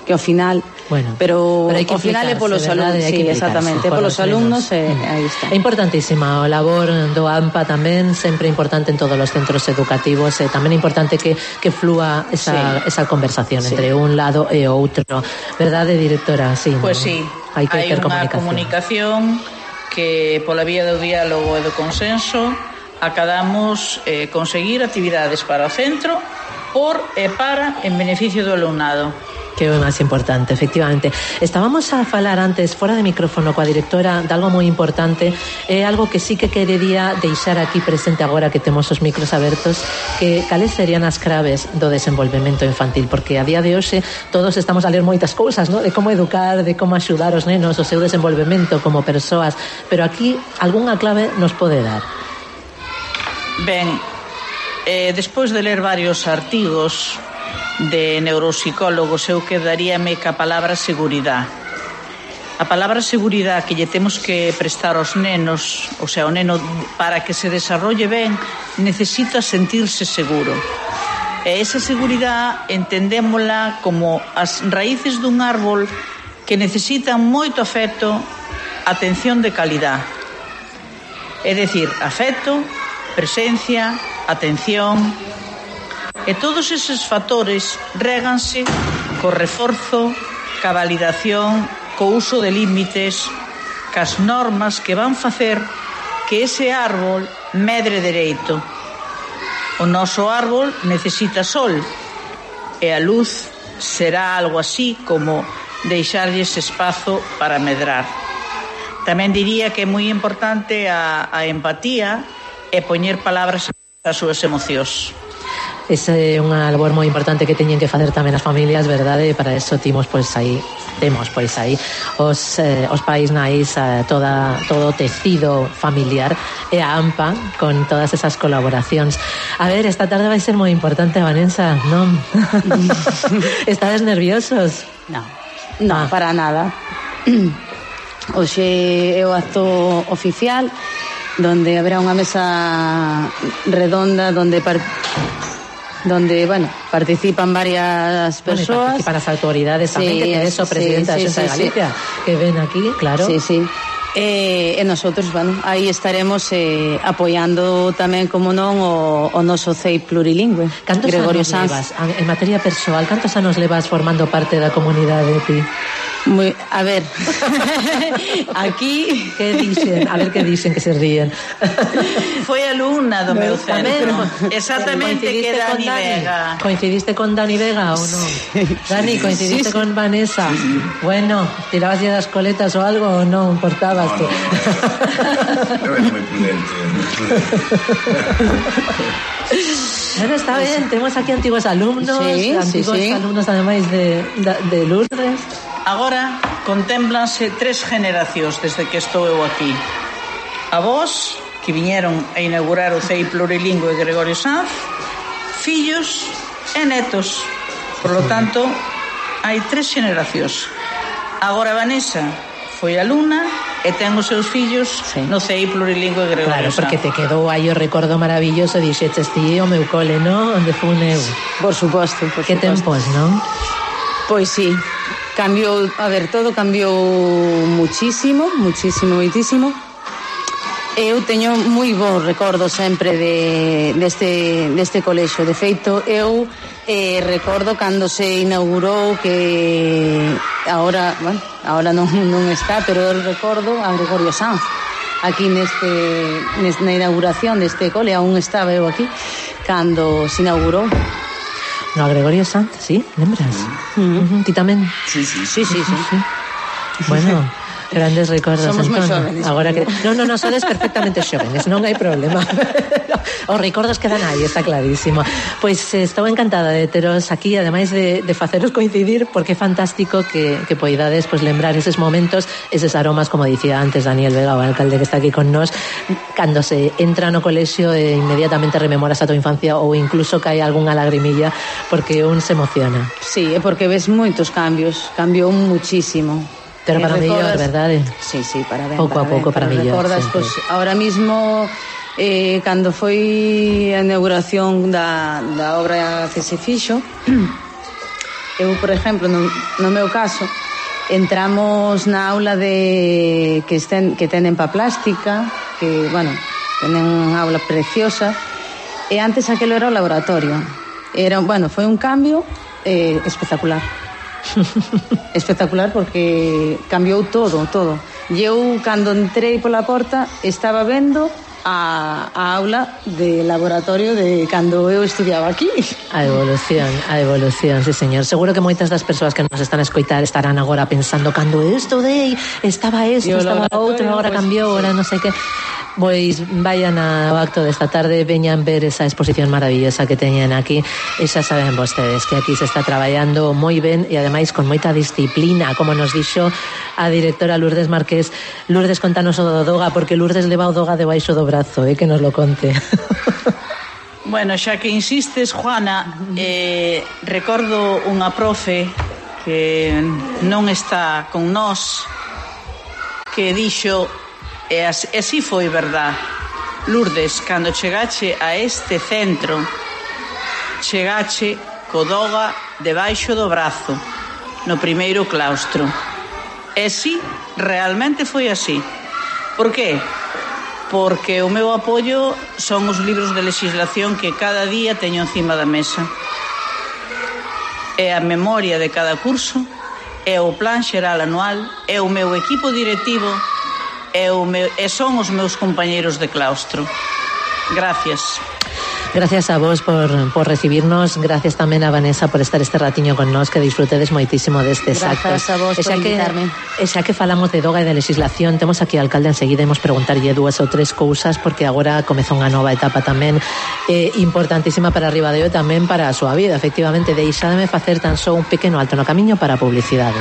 que ao final Bueno, pero, pero ao final é polos alumnos, sí, exactamente, polos alumnos e eh, aí está. É importantísima o labor do AMPA tamén, sempre importante en todos os centros educativos, e tamén é importante que, que flúa esa, sí. esa conversación sí. entre un lado e outro. Verdade, directora? Sí, pues ¿no? sí, hai que hai ter unha comunicación. comunicación que pola vía do diálogo e do consenso acadamos eh, conseguir actividades para o centro por e para en beneficio do alumnado. Que é o máis importante, efectivamente. Estábamos a falar antes, fora de micrófono, coa directora, de algo moi importante, é algo que sí que querería deixar aquí presente agora que temos os micros abertos, que cales serían as claves do desenvolvemento infantil, porque a día de hoxe todos estamos a ler moitas cousas, ¿no? De como educar, de como axudar os nenos, o seu desenvolvemento como persoas, pero aquí algunha clave nos pode dar. Ben, eh, despois de ler varios artigos de neuropsicólogos, eu quedaríame ca palabra seguridade. A palabra seguridade que lle temos que prestar aos nenos, o sea, o neno, para que se desarrolle ben, necesita sentirse seguro. E esa seguridade entendémola como as raíces dun árbol que necesitan moito afecto, atención de calidad. É dicir, afecto, presencia, atención, e todos eses factores réganse co reforzo, ca validación, co uso de límites, cas normas que van facer que ese árbol medre dereito. O noso árbol necesita sol e a luz será algo así como deixarlles espazo para medrar. Tamén diría que é moi importante a, a empatía e poñer palabras ás súas emocións. Esa é unha labor moi importante que teñen que facer tamén as familias, verdade? E para eso timos pois aí, temos pois aí os, eh, os pais nais, eh, toda, todo o tecido familiar e a AMPA con todas esas colaboracións. A ver, esta tarde vai ser moi importante, Vanessa, non? Estades nerviosos? No, no, ah. para nada. Hoxe é o acto oficial donde haberá unha mesa redonda donde par... donde, bueno, participan varias persoas. Bueno, participan as autoridades tamén, sí, que ten eso, presidenta sí, sí, da Xunta de Galicia, sí, que ven aquí, claro. Sí, sí. E eh, nosotros, bueno, aí estaremos eh, apoiando tamén, como non, o, o noso C E I plurilingüe. Cantos Gregorio anos Sanz. levas, en materia persoal, cantos anos levas formando parte da comunidade, ti? Muy, a ver, aquí que dicen, a ver que dicen que se ríen. Foi alumna do meu centro. Exactamente, que Dani Vega. Coincidiste con Dani Vega ou non? Sí, Dani, coincidiste sí, sí. con Vanessa. Sí, sí. Bueno, tirabas ya das coletas ou algo ou non? Portabas no, tú. No, no. Eu era moi prudente, moi prudente. Bueno, está ben, temos aquí antigos alumnos, sí, antigos sí, sí. alumnos ademais de, de, de Lourdes. Agora contémplanse tres generacións desde que estou eu aquí. A vos, que viñeron a inaugurar o C E I plurilingüe Gregorio Sanz, fillos e netos. Por lo tanto, hai tres generacións. Agora Vanessa foi alumna e ten os seus fillos sí. no C E I plurilingüe Gregorio Claro, Sanz. porque te quedou aí o recordo maravilloso, dixeches ti o meu cole, non? Onde fun eu. Por suposto, por que suposto. tempos, non? Pois sí, cambiou, a ver, todo cambiou muchísimo, muchísimo, muitísimo. Eu teño moi bons recordos sempre de, deste, deste colexo. De feito, eu eh, recordo cando se inaugurou, que ahora, bueno, ahora non, non está, pero eu recordo a Gregorio Sanz aquí neste, neste na inauguración deste cole. Aún estaba eu aquí cando se inaugurou. No, a Gregorio Sanz, sí, lembras? Mm. Uh-huh. Ti tamén? Sí, sí, sí, sí, sí. sí. Bueno, grandes recordos. Somos moi entón. xóvenes. Agora que no, no, no, sodes perfectamente xóvenes, non hai problema. Os recordos quedan aí, está clarísimo. Pois eh, estou encantada de teros aquí, ademais de, de faceros coincidir, porque é fantástico que, que poidades pues, lembrar eses momentos, eses aromas, como dicía antes Daniel Vega, o alcalde que está aquí con nós, cando se entra no colexio e inmediatamente rememoras a tua infancia ou incluso cae algunha lagrimilla porque un se emociona. Sí, é porque ves moitos cambios, cambiou muchísimo. Pero para mellor, verdade? Sí, sí, para ben. Pouco para a pouco, ben, para mellor. Recordas, pois, pues, ahora mismo, eh, cando foi a inauguración da, da obra que se fixo, eu, por exemplo, no, no meu caso, entramos na aula de que, estén, que tenen pa plástica, que, bueno, tenen unha aula preciosa, e antes aquelo era o laboratorio. Era, bueno, foi un cambio eh, espectacular. Espectacular, porque cambiou todo, todo. E eu, cando entrei pola porta, estaba vendo a, a aula de laboratorio de cando eu estudiaba aquí. A evolución, a evolución, sí señor. Seguro que moitas das persoas que nos están a escoitar estarán agora pensando cando eu estudei estaba isto, estaba outro, agora pues, cambiou, agora non sei que. Pois vayan ao acto desta tarde, veñan ver esa exposición maravillosa que teñen aquí, e xa saben vostedes que aquí se está traballando moi ben e ademais con moita disciplina, como nos dixo a directora Lourdes Marqués. Lourdes, contanos o do Doga, porque Lourdes leva o Doga debaixo do brazo, eh, que nos lo conte. Bueno, xa que insistes, Juana, eh, recordo unha profe que non está con nós, que dixo, e así foi verdad: Lourdes, cando chegache a este centro, chegache co Doga debaixo do brazo, no primeiro claustro. E si, realmente foi así. Por qué? Porque o meu apoio son os libros de legislación que cada día teño encima da mesa. É a memoria de cada curso, é o plan xeral anual, é o meu equipo directivo, e, o meu, e son os meus compañeiros de claustro. Gracias. Gracias a vos por, por recibirnos, gracias tamén a Vanessa por estar este ratiño con nós, que disfrutedes moitísimo destes actos. Gracias a vos por invitarme. E xa que falamos de Doga e de legislación, temos aquí ao alcalde enseguida, imos preguntarlle dúas ou tres cousas, porque agora comeza unha nova etapa tamén eh, importantísima para Ribadeo e tamén para a súa vida. Efectivamente, deixademe facer tan só un pequeno alto no camiño para a publicidade.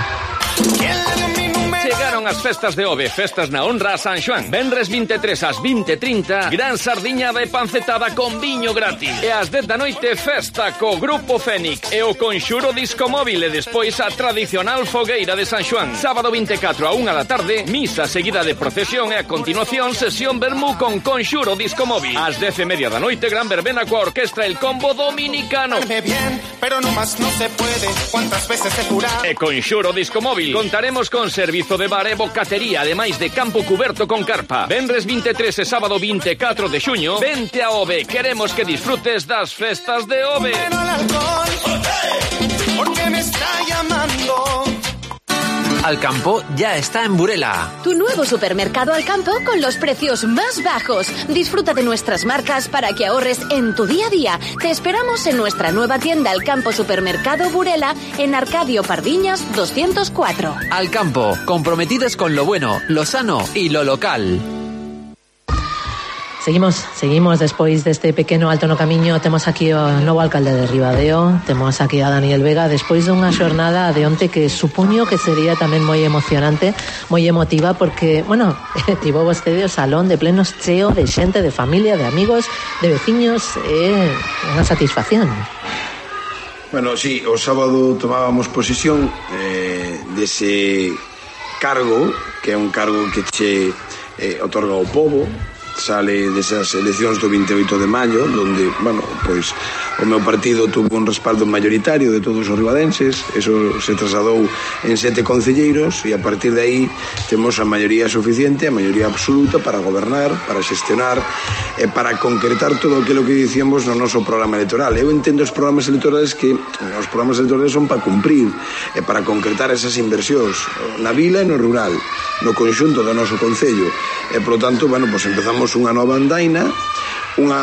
As festas de Ove, festas na honra a San Xoán. Venres vinte e tres ás vinte e trinta, gran sardiñada e pancetada con viño gratis. E ás dez da noite, festa co Grupo Fénix e o Conxuro Disco Móvil, e despois a tradicional fogueira de San Xoán. Sábado vinte e catro a unha da tarde, misa seguida de procesión e a continuación sesión vermú con Conxuro Disco Móvil. Ás dez e media da noite, gran verbena coa orquestra El Combo Dominicano. Bien, pero no más no se puede. ¿Cuántas veces se cura? E Conxuro Disco Móvil. Contaremos con servizo de bar e bocatería, ademais de campo cuberto con carpa. Venres vinte e tres e sábado vinte e catro de xuño, vente a Ove. Queremos que disfrutes das festas de Ove. Pero el alcohol, porque me está llamando. Alcampo ya está en Burela. Tu nuevo supermercado Alcampo con los precios más bajos. Disfruta de nuestras marcas para que ahorres en tu día a día. Te esperamos en nuestra nueva tienda Alcampo Supermercado Burela en Arcadio Pardiñas doscientos cuatro. Alcampo, comprometidos con lo bueno, lo sano y lo local. Seguimos, seguimos despois deste pequeno alto no camiño. Temos aquí o novo alcalde de Ribadeo, temos aquí a Daniel Vega, despois dunha xornada de onte que supoño que sería tamén moi emocionante, moi emotiva, porque, bueno, tivo vostede o salón de plenos cheo de xente, de familia, de amigos, de veciños, é unha satisfacción. Bueno, sí, o sábado tomábamos posesión eh, dese cargo, que é un cargo que che eh, otorga o pobo. Sale desas eleccións do vinte e oito de maio, donde, bueno, pois o meu partido tuvo un respaldo mayoritario de todos os ribadenses. Eso se trasladou en sete concelleiros e a partir de aí temos a maioría suficiente, a maioría absoluta para gobernar, para xestionar e para concretar todo aquilo que dicíamos no noso programa electoral. Eu entendo os programas electorales que os programas electorales son para cumprir e para concretar esas inversións na vila e no rural, no conxunto do noso concello. E, polo tanto, bueno, pois empezamos unha nova andaina, unha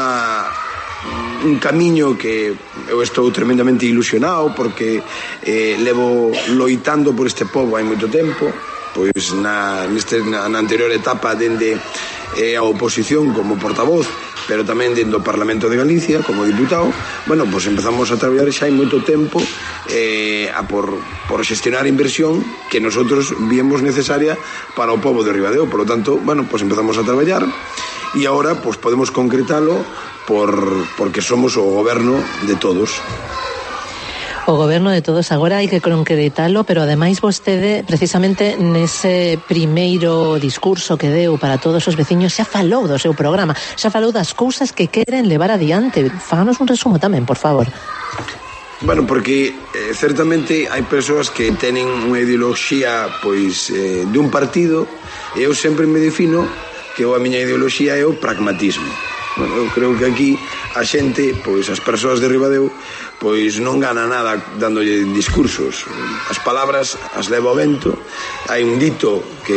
un camiño que eu estou tremendamente ilusionado, porque eh, levo loitando por este pobo hai moito tempo, pois na, neste, na, na anterior etapa dende eh, a oposición como portavoz, pero tamén dentro do Parlamento de Galicia como diputado. Bueno, pois empezamos a traballar xa hai moito tempo eh, a por, por xestionar inversión que nosotros viemos necesaria para o pobo de Ribadeo. Por lo tanto, bueno, pois empezamos a traballar e agora pois podemos concretalo por, porque somos o goberno de todos. O goberno de todos, agora hai que concretalo, pero ademais vostede, precisamente nese primeiro discurso que deu para todos os veciños, xa falou do seu programa, xa falou das cousas que queren levar adiante. Fáganos un resumo tamén, por favor. Bueno, porque eh, certamente hai persoas que tenen unha ideoloxía pois eh, de un partido, e eu sempre me defino que a miña ideoloxía é o pragmatismo. Bueno, eu creo que aquí a xente, pois as persoas de Ribadeo, pois non gana nada dándolle discursos. As palabras as leva o vento. Hai un dito que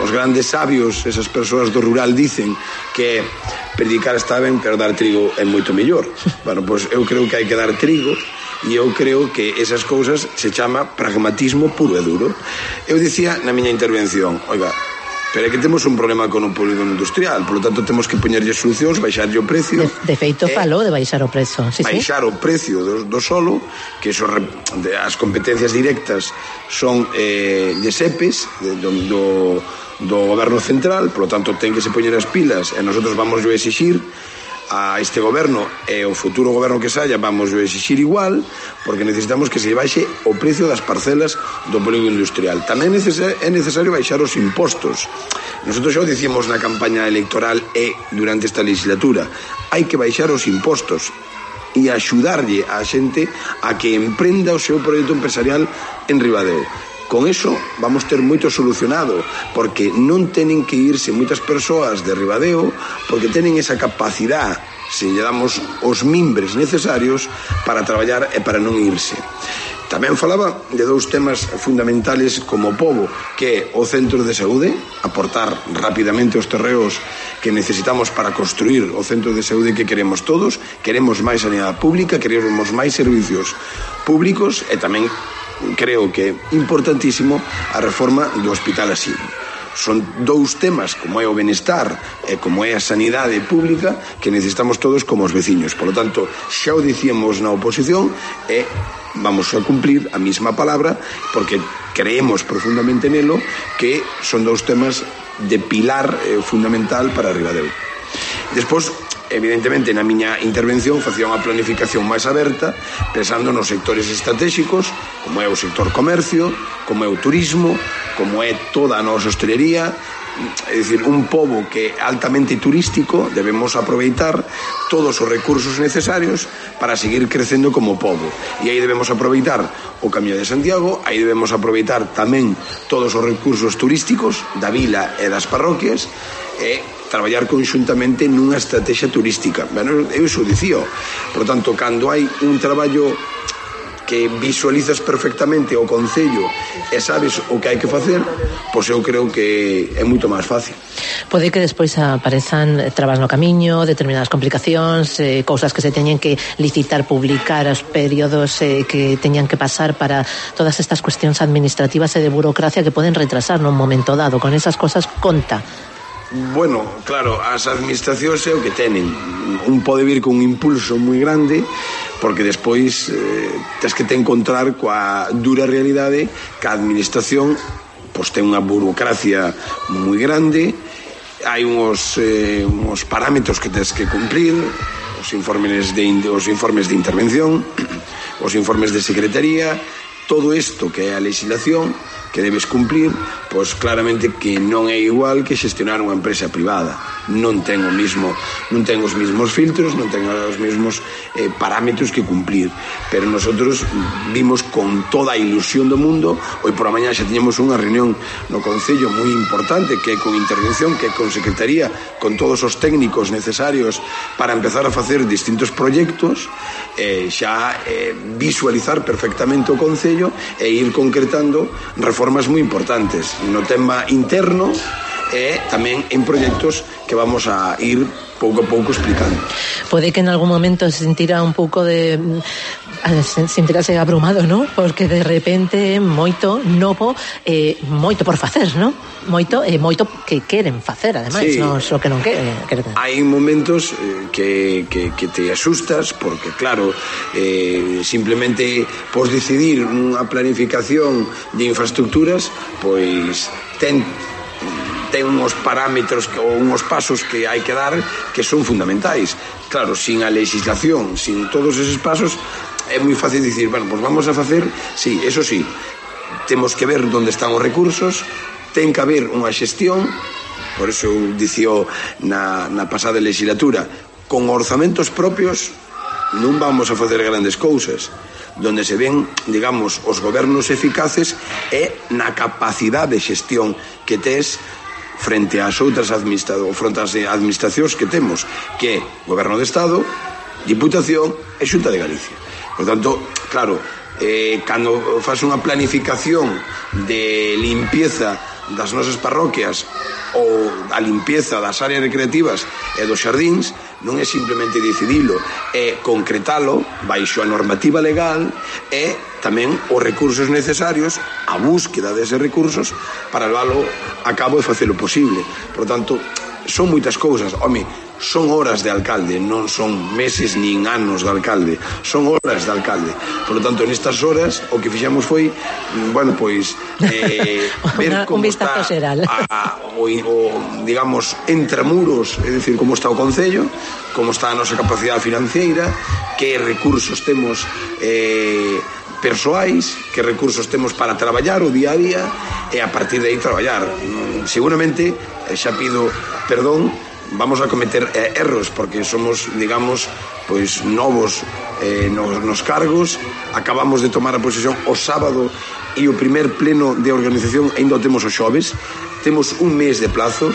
os grandes sabios, esas persoas do rural dicen que predicar está ben, pero dar trigo é moito mellor. Bueno, pois eu creo que hai que dar trigo, e eu creo que esas cousas se chama pragmatismo puro e duro. Eu dicía na miña intervención, oiga, pero é que temos un problema con o polígono industrial, polo tanto temos que poñerlle solucións, baixarlle o precio. De, de feito, eh, falou de baixar o prezo. Sí, baixar sí. o precio do, do solo, que so, de, as competencias directas son eh, de SEPES, de, do, do, do goberno central, polo tanto ten que se poñer as pilas, e nosotros vamos a exixir a este goberno e o futuro goberno que saia, vamos a exixir igual, porque necesitamos que se baixe o precio das parcelas do polígono industrial. Tamén é necesario baixar os impostos. Nosotros xa o dicimos na campaña electoral e durante esta legislatura, hai que baixar os impostos e axudarlle a xente a que emprenda o seu proxecto empresarial en Ribadeo. Con eso vamos ter moito solucionado, porque non tenen que irse moitas persoas de Ribadeo, porque tenen esa capacidade, se lle damos os mimbres necesarios para traballar e para non irse. Tamén falaba de dous temas fundamentales como pobo, que é o centro de saúde, aportar rapidamente os terreos que necesitamos para construir o centro de saúde que queremos todos. Queremos máis sanidade pública, queremos máis servicios públicos, e tamén creo que é importantísimo a reforma do hospital asilo. Son dous temas, como é o benestar e como é a sanidade pública, que necesitamos todos como os veciños. Por lo tanto, xa o dicíamos na oposición e vamos a cumplir a mesma palabra, porque creemos profundamente nelo, que son dous temas de pilar eh, fundamental para Ribadeo. Despois, evidentemente, na miña intervención facía unha planificación máis aberta, pensando nos sectores estratégicos, como é o sector comercio, como é o turismo, como é toda a nosa hostelería. É dicir, un pobo que é altamente turístico, debemos aproveitar todos os recursos necesarios para seguir crecendo como pobo. E aí debemos aproveitar o Camiño de Santiago, aí debemos aproveitar tamén todos os recursos turísticos da vila e das parroquias, e traballar conxuntamente nunha estrategia turística. Bueno, eu iso dicía. Por tanto, cando hai un traballo que visualizas perfectamente o concello e sabes o que hai que facer, pois eu creo que é moito máis fácil. Pode que despois aparezan trabas no camiño, determinadas complicacións, eh, cousas que se teñen que licitar, publicar, os períodos eh, que teñan que pasar para todas estas cuestións administrativas e de burocracia que poden retrasar nun momento dado. Con esas cosas conta. Bueno, claro, as administracións é o que tenen. Un pode vir con un impulso moi grande, porque despois eh, tens que te encontrar coa dura realidade que a administración pois ten unha burocracia moi grande, hai uns, eh, uns parámetros que tens que cumplir, os informes de, os informes de intervención, os informes de secretaría, todo isto que é a legislación que debes cumplir, pois claramente que non é igual que xestionar unha empresa privada. Non ten o mismo, non ten os mismos filtros, non ten os mesmos eh, parámetros que cumplir. Pero nosotros vimos con toda a ilusión do mundo, hoy por a mañá xa tiñamos unha reunión no Concello moi importante, que é con intervención, que é con secretaría, con todos os técnicos necesarios para empezar a facer distintos proxectos, eh, xa eh, visualizar perfectamente o Concello e ir concretando reformas moi importantes no tema interno e tamén en proxectos que vamos a ir pouco a pouco explicando. Pode que en algún momento se sentirá un pouco de sentirase abrumado, ¿no? Porque de repente moito novo, eh, moito por facer, ¿no? Moito e eh, moito que queren facer, ademais, sí. Non só que non queren. Hai momentos eh, que, que, que te asustas porque, claro, eh, simplemente podes decidir unha planificación de infraestructuras, pois ten ten uns parámetros ou uns pasos que hai que dar que son fundamentais. Claro, sin a legislación, sin todos eses pasos, é moi fácil dicir, bueno, pois vamos a facer, sí, eso sí, temos que ver onde están os recursos, ten que haber unha xestión, por eso eu dicía na, na pasada legislatura, con orzamentos propios non vamos a facer grandes cousas. Donde se ven, digamos, os gobernos eficaces é na capacidade de xestión que tes frente ás outras administracións, frente ás administracións que temos, que é Goberno de Estado, Diputación e Xunta de Galicia. Por tanto, claro, eh, cando faz unha planificación de limpieza das nosas parroquias ou a limpieza das áreas recreativas e dos xardíns non é simplemente decidilo, é concretalo baixo a normativa legal e tamén os recursos necesarios, a búsqueda deses recursos para leválo a cabo e facelo posible. Por tanto, son moitas cousas. Home, son horas de alcalde, non son meses nin anos de alcalde, son horas de alcalde. Por lo tanto, nestas horas o que fixamos foi, bueno, pois eh, ver como está a, a, o, o, digamos, entramuros, é dicir, como está o Concello, como está a nosa capacidade financiera, que recursos temos eh, persoais, que recursos temos para traballar o día a día e a partir de aí traballar. Seguramente, xa pido perdón, vamos a cometer eh, erros porque somos, digamos, pois novos eh, nos, nos cargos. Acabamos de tomar a posesión o sábado e o primer pleno de organización ainda o temos o xoves. Temos un mes de plazo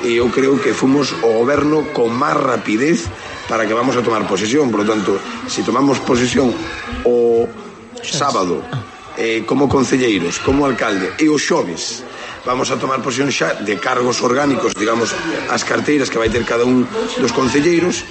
e eu creo que fomos o goberno con máis rapidez para que vamos a tomar posesión. Por lo tanto, se tomamos posesión o sábado eh, como concelleiros, como alcalde e o xoves vamos a tomar posesión xa de cargos orgánicos, digamos, as carteiras que vai ter cada un dos concelleiros,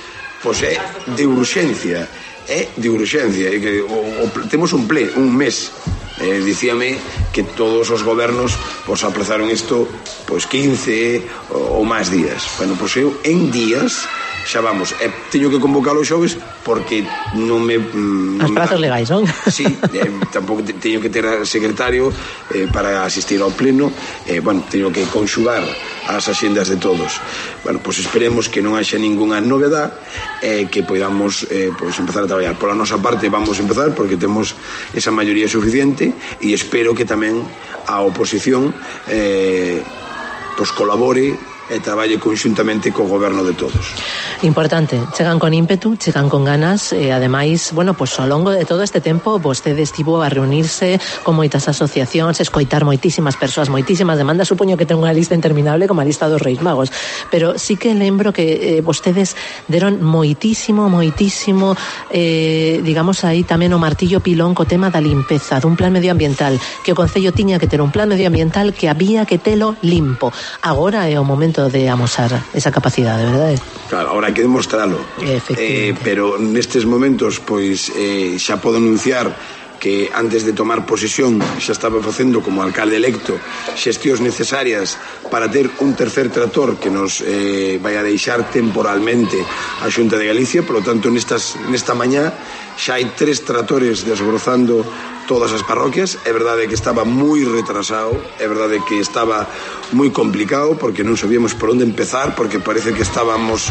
pois é de urxencia, é de urxencia, é que o, o, temos un ple, un mes. Eh, dicíame que todos os gobernos pois aplazaron isto pois quince ou máis días. Bueno, pois eu en días xa vamos, e teño que convocalo os xoves porque non me... Non As prazos legais, non? Sí, eh, tampouco teño que ter secretario eh, para asistir ao pleno, eh, bueno, teño que conxugar as axendas de todos. Bueno, pois esperemos que non haxa ningunha novedad e eh, que podamos eh, pois empezar a traballar. Pola nosa parte vamos a empezar porque temos esa maioría suficiente e espero que tamén a oposición eh, pois colabore e traballe conxuntamente co goberno de todos. Importante, chegan con ímpetu, chegan con ganas e ademais, bueno, pois ao longo de todo este tempo vostede estivo a reunirse con moitas asociacións, escoitar moitísimas persoas, moitísimas demandas, supoño que ten unha lista interminable como a lista dos Reis Magos, pero sí que lembro que eh, vostedes deron moitísimo, moitísimo eh, digamos aí tamén o martillo pilón co tema da limpeza, dun plan medioambiental, que o Concello tiña que ter un plan medioambiental que había que telo limpo. Agora é o momento de amosar esa capacidade, verdade? Claro, ahora hai que demostralo. Eh, pero nestes momentos, pois, eh, xa podo anunciar que antes de tomar posesión xa estaba facendo como alcalde electo xestións necesarias para ter un tercer trator que nos eh, vai a deixar temporalmente a Xunta de Galicia. Por lo tanto, nestas, nesta mañá xa hai tres tratores desbrozando todas as parroquias. É verdade que estaba moi retrasado, é verdade que estaba moi complicado porque non sabíamos por onde empezar, porque parece que estábamos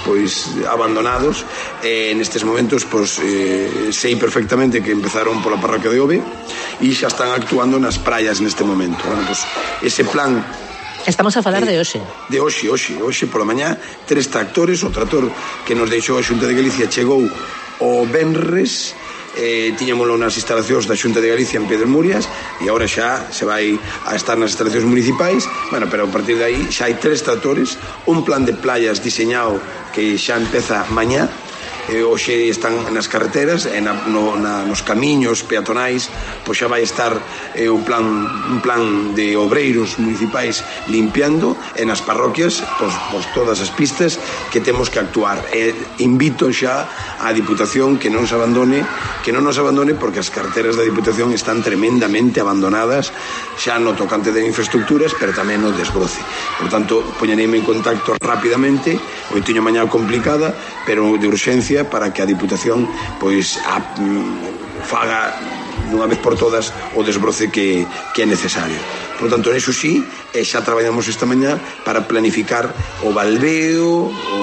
pois abandonados. E nestes momentos pois eh, sei perfectamente que empezaron pola parroquia de Ove e xa están actuando nas praias neste momento. Bueno, pois ese plan Estamos a falar de hoxe. De hoxe, hoxe, hoxe pola mañá, tres tractores, o trator que nos deixou a Xunta de Galicia chegou o venres, eh, tiñamolo nas instalacións da Xunta de Galicia en Pedro Murias e agora xa se vai a estar nas instalacións municipais. Bueno, pero a partir de aí xa hai tres tractores, un plan de playas diseñado que xa empeza mañá. Eh, hoxe están nas carreteras e na, no, na, nos camiños peatonais, pois xa vai estar eh, un plan un plan de obreiros municipais limpiando, e nas parroquias pois, pois todas as pistas que temos que actuar. E invito xa á Diputación que non se abandone que non nos abandone porque as carreteras da Diputación están tremendamente abandonadas xa no tocante de infraestructuras, pero tamén no desbroce. Por tanto, poñereime en contacto rapidamente. Hoy teño mañá complicada, pero de urxencia, para que a Diputación pois a, mm, faga dunha vez por todas o desbroce que, que é necesario. Por tanto, eso sí, eh, xa traballamos esta mañá para planificar o baldeo o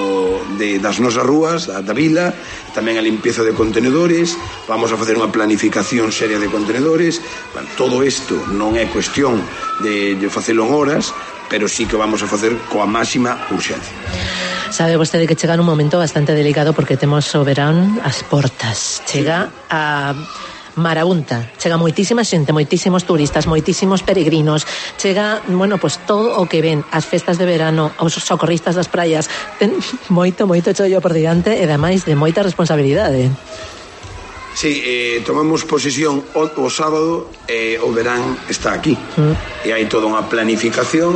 de, das nosas rúas, da, da vila, tamén a limpieza de contenedores. Vamos a facer unha planificación seria de contenedores. Bueno, todo isto non é cuestión de, de facelo en horas, pero sí que vamos a facer coa máxima urxencia. Sabe vostede que chega nun momento bastante delicado porque temos o verán as portas. Chega a marabunta, chega moitísima xente, moitísimos turistas, moitísimos peregrinos, chega, bueno, pues todo o que ven, as festas de verano, os socorristas das praias, ten moito, moito chollo por diante e ademais de moita responsabilidade. Sí, eh, tomamos posesión o, o sábado e eh, o verán está aquí. Mm. E hai toda unha planificación,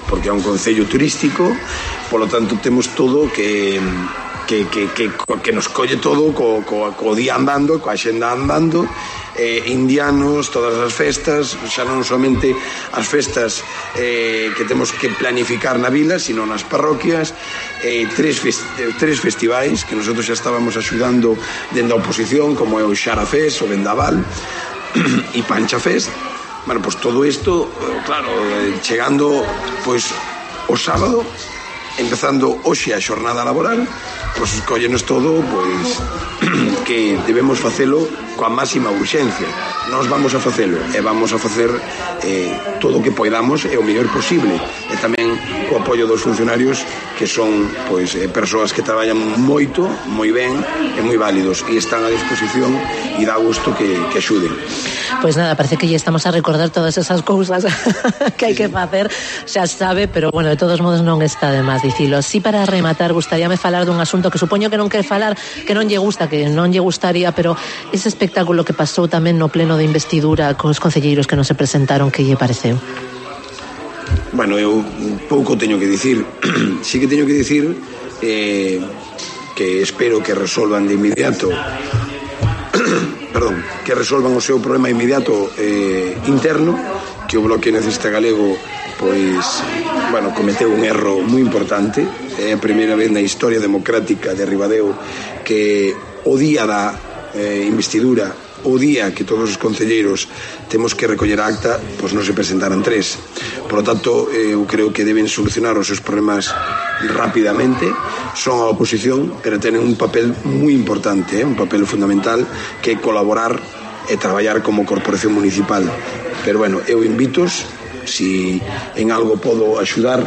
porque é un concello turístico, polo tanto temos todo que que, que, que, que nos colle todo co, co, co día andando, coa xenda andando, eh, indianos, todas as festas, xa non somente as festas eh, que temos que planificar na vila, sino nas parroquias, eh, tres, fest, tres festivais que nosotros xa estábamos axudando dende a oposición, como é o Xarafés, o Vendaval e Pancha Fest. Bueno, pues todo isto, claro, chegando pois o sábado, empezando hoxe a xornada laboral, pois escollenos todo, pois que debemos facelo coa máxima urxencia. Nós vamos a facelo e vamos a facer eh, todo o que poidamos e o mellor posible, e tamén co apoio dos funcionarios que son pois eh, persoas que traballan moito, moi ben e moi válidos e están a disposición e dá gusto que, que axuden. Pois nada, parece que ya estamos a recordar todas esas cousas que hai que facer, xa sabe, pero bueno, de todos modos non está de máis dicilo. Si para rematar, gustaríame falar dun asunto que supoño que non quere falar, que non lle gusta, que non lle gustaría, pero ese espectáculo que pasou tamén no pleno de investidura cos concelleiros que non se presentaron, que lle pareceu? Bueno, eu pouco teño que dicir. Sí que teño que dicir eh, que espero que resolvan de inmediato perdón, que resolvan o seu problema inmediato eh, interno, que o Bloque Nacionalista Galego pois, bueno, cometeu un erro moi importante. É a primeira vez na historia democrática de Ribadeo que o día da eh, investidura, o día que todos os concelleiros temos que recoller a acta, pois non se presentaran tres. Por lo tanto, eu creo que deben solucionar os seus problemas rapidamente. Son a oposición, pero tenen un papel moi importante, eh, un papel fundamental, que é colaborar e traballar como corporación municipal. Pero bueno, eu invitos, si en algo podo axudar,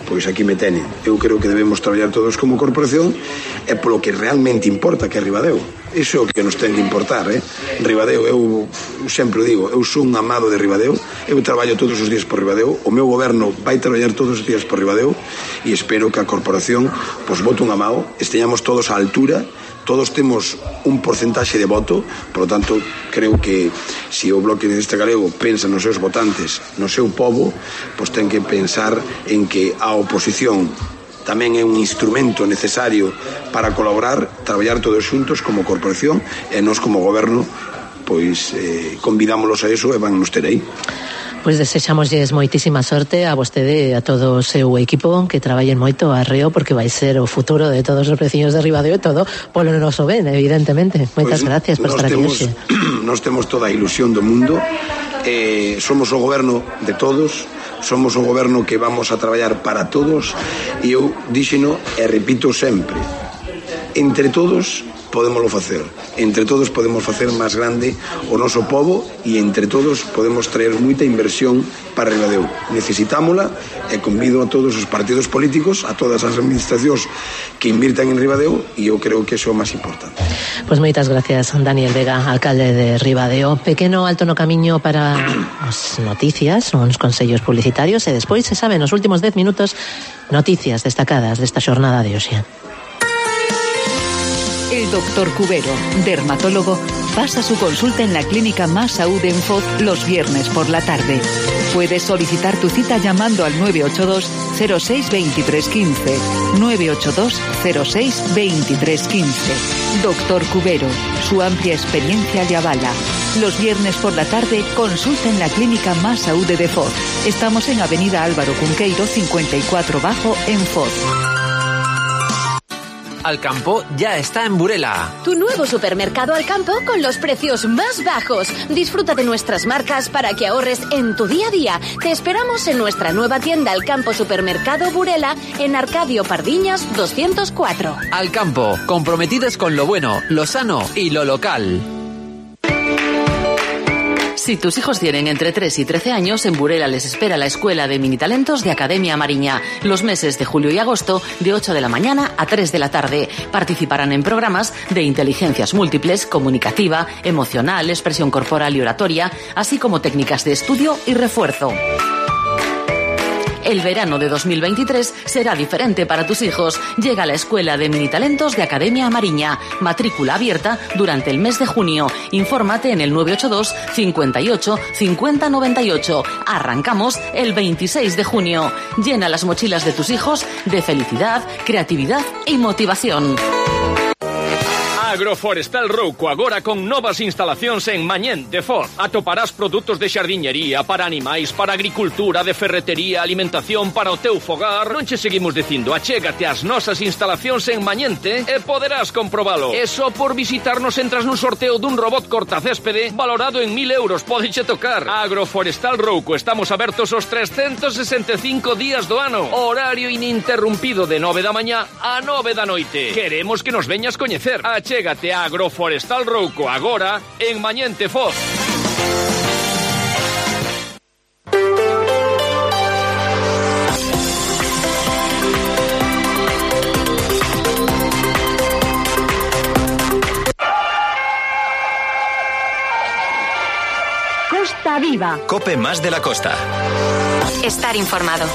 pois aquí me tenen. Eu creo que debemos traballar todos como corporación e polo que realmente importa, que é Ribadeo. Iso é o que nos ten que importar, eh? Ribadeo, eu sempre digo, eu sou un amado de Ribadeo, eu traballo todos os días por Ribadeo, o meu goberno vai traballar todos os días por Ribadeo e espero que a corporación pois vote un amado, esteñamos todos á altura. Todos temos un porcentaxe de voto, por lo tanto, creo que se o Bloque Nacionalista Galego pensa nos seus votantes, no seu povo, pois ten que pensar en que a oposición tamén é un instrumento necesario para colaborar, traballar todos xuntos como corporación, e nós como goberno pois eh, convidámolos a eso e van nos ter aí. Pois desexamosles moitísima sorte a vostede e a todo o seu equipo, que traballen moito arreo, porque vai ser o futuro de todos os veciños de Ribadeo e todo polo noso ben, evidentemente. Moitas pues, gracias por estar aquí hoxe. Nos temos toda a ilusión do mundo, eh, somos o goberno de todos, somos o goberno que vamos a traballar para todos, e eu díxeno e repito sempre, entre todos podémoslo facer, entre todos podemos facer máis grande o noso povo, e entre todos podemos traer moita inversión para Ribadeo. Necesitámola, e convido a todos os partidos políticos, a todas as administracións que invirtan en Ribadeo, e eu creo que iso é o máis importante. Pois moitas gracias, Daniel Vega, alcalde de Ribadeo. Pequeno alto no camiño para as noticias, uns consellos publicitarios, e despois, se sabe, nos últimos dez minutos, noticias destacadas desta xornada de hoxe. El doctor Cubero, dermatólogo, pasa su consulta en la clínica Más Saúde en Foz los viernes por la tarde. Puedes solicitar tu cita llamando al nueve ocho dos cero seis dos tres uno cinco, nueve ocho dos cero seis dos tres uno cinco. Doctor Cubero, su amplia experiencia le avala. Los viernes por la tarde, consulta en la clínica Más Saúde de Foz. Estamos en Avenida Álvaro Cunqueiro cincuenta y cuatro Bajo en Foz. Alcampo ya está en Burela. Tu nuevo supermercado Alcampo con los precios más bajos. Disfruta de nuestras marcas para que ahorres en tu día a día. Te esperamos en nuestra nueva tienda Alcampo Supermercado Burela en Arcadio Pardiñas doscientos cuatro. Alcampo, comprometidos con lo bueno, lo sano y lo local. Si tus hijos tienen entre tres y trece años, en Burela les espera la Escuela de Minitalentos de Academia Mariña, los meses de julio y agosto, de ocho de la mañana a tres de la tarde. Participarán en programas de inteligencias múltiples, comunicativa, emocional, expresión corporal y oratoria, así como técnicas de estudio y refuerzo. El verano de dos mil veintitrés será diferente para tus hijos. Llega la Escuela de Minitalentos de Academia Mariña. Matrícula abierta durante el mes de junio. Infórmate en el nueve ocho dos, cincuenta y ocho, cincuenta noventa y ocho. Arrancamos el veintiséis de junio. Llena las mochilas de tus hijos de felicidad, creatividad y motivación. Agroforestal Rouco agora con novas instalacións en Mañén de Foz. Atoparás produtos de xardiñería para animais, para agricultura, de ferretería, alimentación para o teu fogar. Non che seguimos dicindo, achégate ás nosas instalacións en Mañente e poderás comprobalo. E só por visitarnos entras nun sorteo dun robot cortacéspede valorado en mil euros. Pódeche tocar. Agroforestal Rouco, estamos abertos os trescentos sesenta e cinco días do ano. Horario ininterrumpido de nove da mañá a nove da noite. Queremos que nos veñas coñecer. Achégate Chégate a Agroforestal Rouco agora en Mañente Foz. Costa Viva. Cope más de la costa. Estar informado.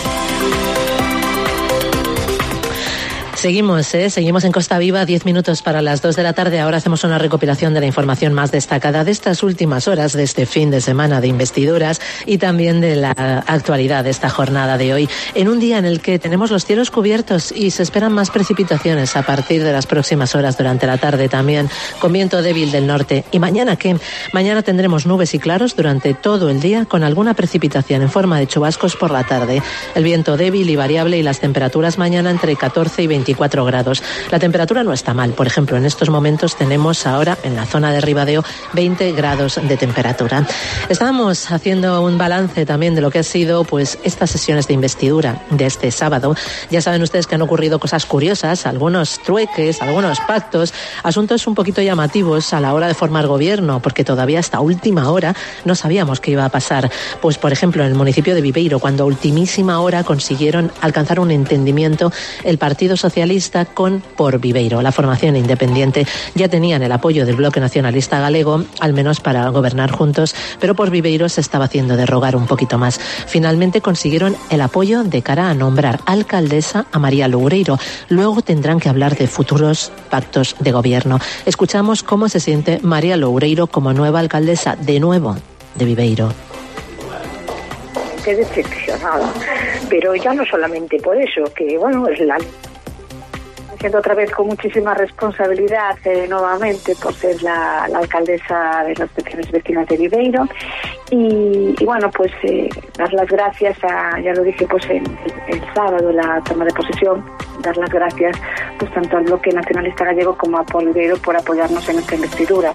Seguimos, ¿eh? Seguimos en Costa Viva, diez minutos para las dos de la tarde. Ahora hacemos una recopilación de la información más destacada de estas últimas horas, de este fin de semana de investiduras y también de la actualidad de esta jornada de hoy, en un día en el que tenemos los cielos cubiertos y se esperan más precipitaciones a partir de las próximas horas durante la tarde también, con viento débil del norte. ¿Y mañana qué? Mañana tendremos nubes y claros durante todo el día, con alguna precipitación en forma de chubascos por la tarde. El viento débil y variable y las temperaturas mañana entre catorce y veinticuatro grados. La temperatura no está mal. Por ejemplo, en estos momentos tenemos ahora en la zona de Ribadeo veinte grados de temperatura. Estábamos haciendo un balance también de lo que ha sido pues estas sesiones de investidura de este sábado. Ya saben ustedes que han ocurrido cosas curiosas, algunos trueques, algunos pactos, asuntos un poquito llamativos a la hora de formar gobierno, porque todavía hasta última hora no sabíamos qué iba a pasar. Pues, por ejemplo, en el municipio de Viveiro, cuando a ultimísima hora consiguieron alcanzar un entendimiento el Partido Socialista con Por Viveiro. La formación independiente ya tenían el apoyo del Bloque Nacionalista Galego, al menos para gobernar juntos, pero Por Viveiro se estaba haciendo de rogar un poquito más. Finalmente consiguieron el apoyo de cara a nombrar alcaldesa a María Loureiro. Luego tendrán que hablar de futuros pactos de gobierno. Escuchamos cómo se siente María Loureiro como nueva alcaldesa de nuevo de Viveiro. Qué decepcionada, pero ya no solamente por eso, que bueno, es la siendo otra vez con muchísima responsabilidad eh, nuevamente por ser la, la alcaldesa de las secciones vecinas de Viveiro y, y bueno, pues eh, dar las gracias a, ya lo dije pues el, el sábado la toma de posesión, dar las gracias pues tanto al Bloque Nacionalista Gallego como a Por Viveiro por apoyarnos en esta investidura.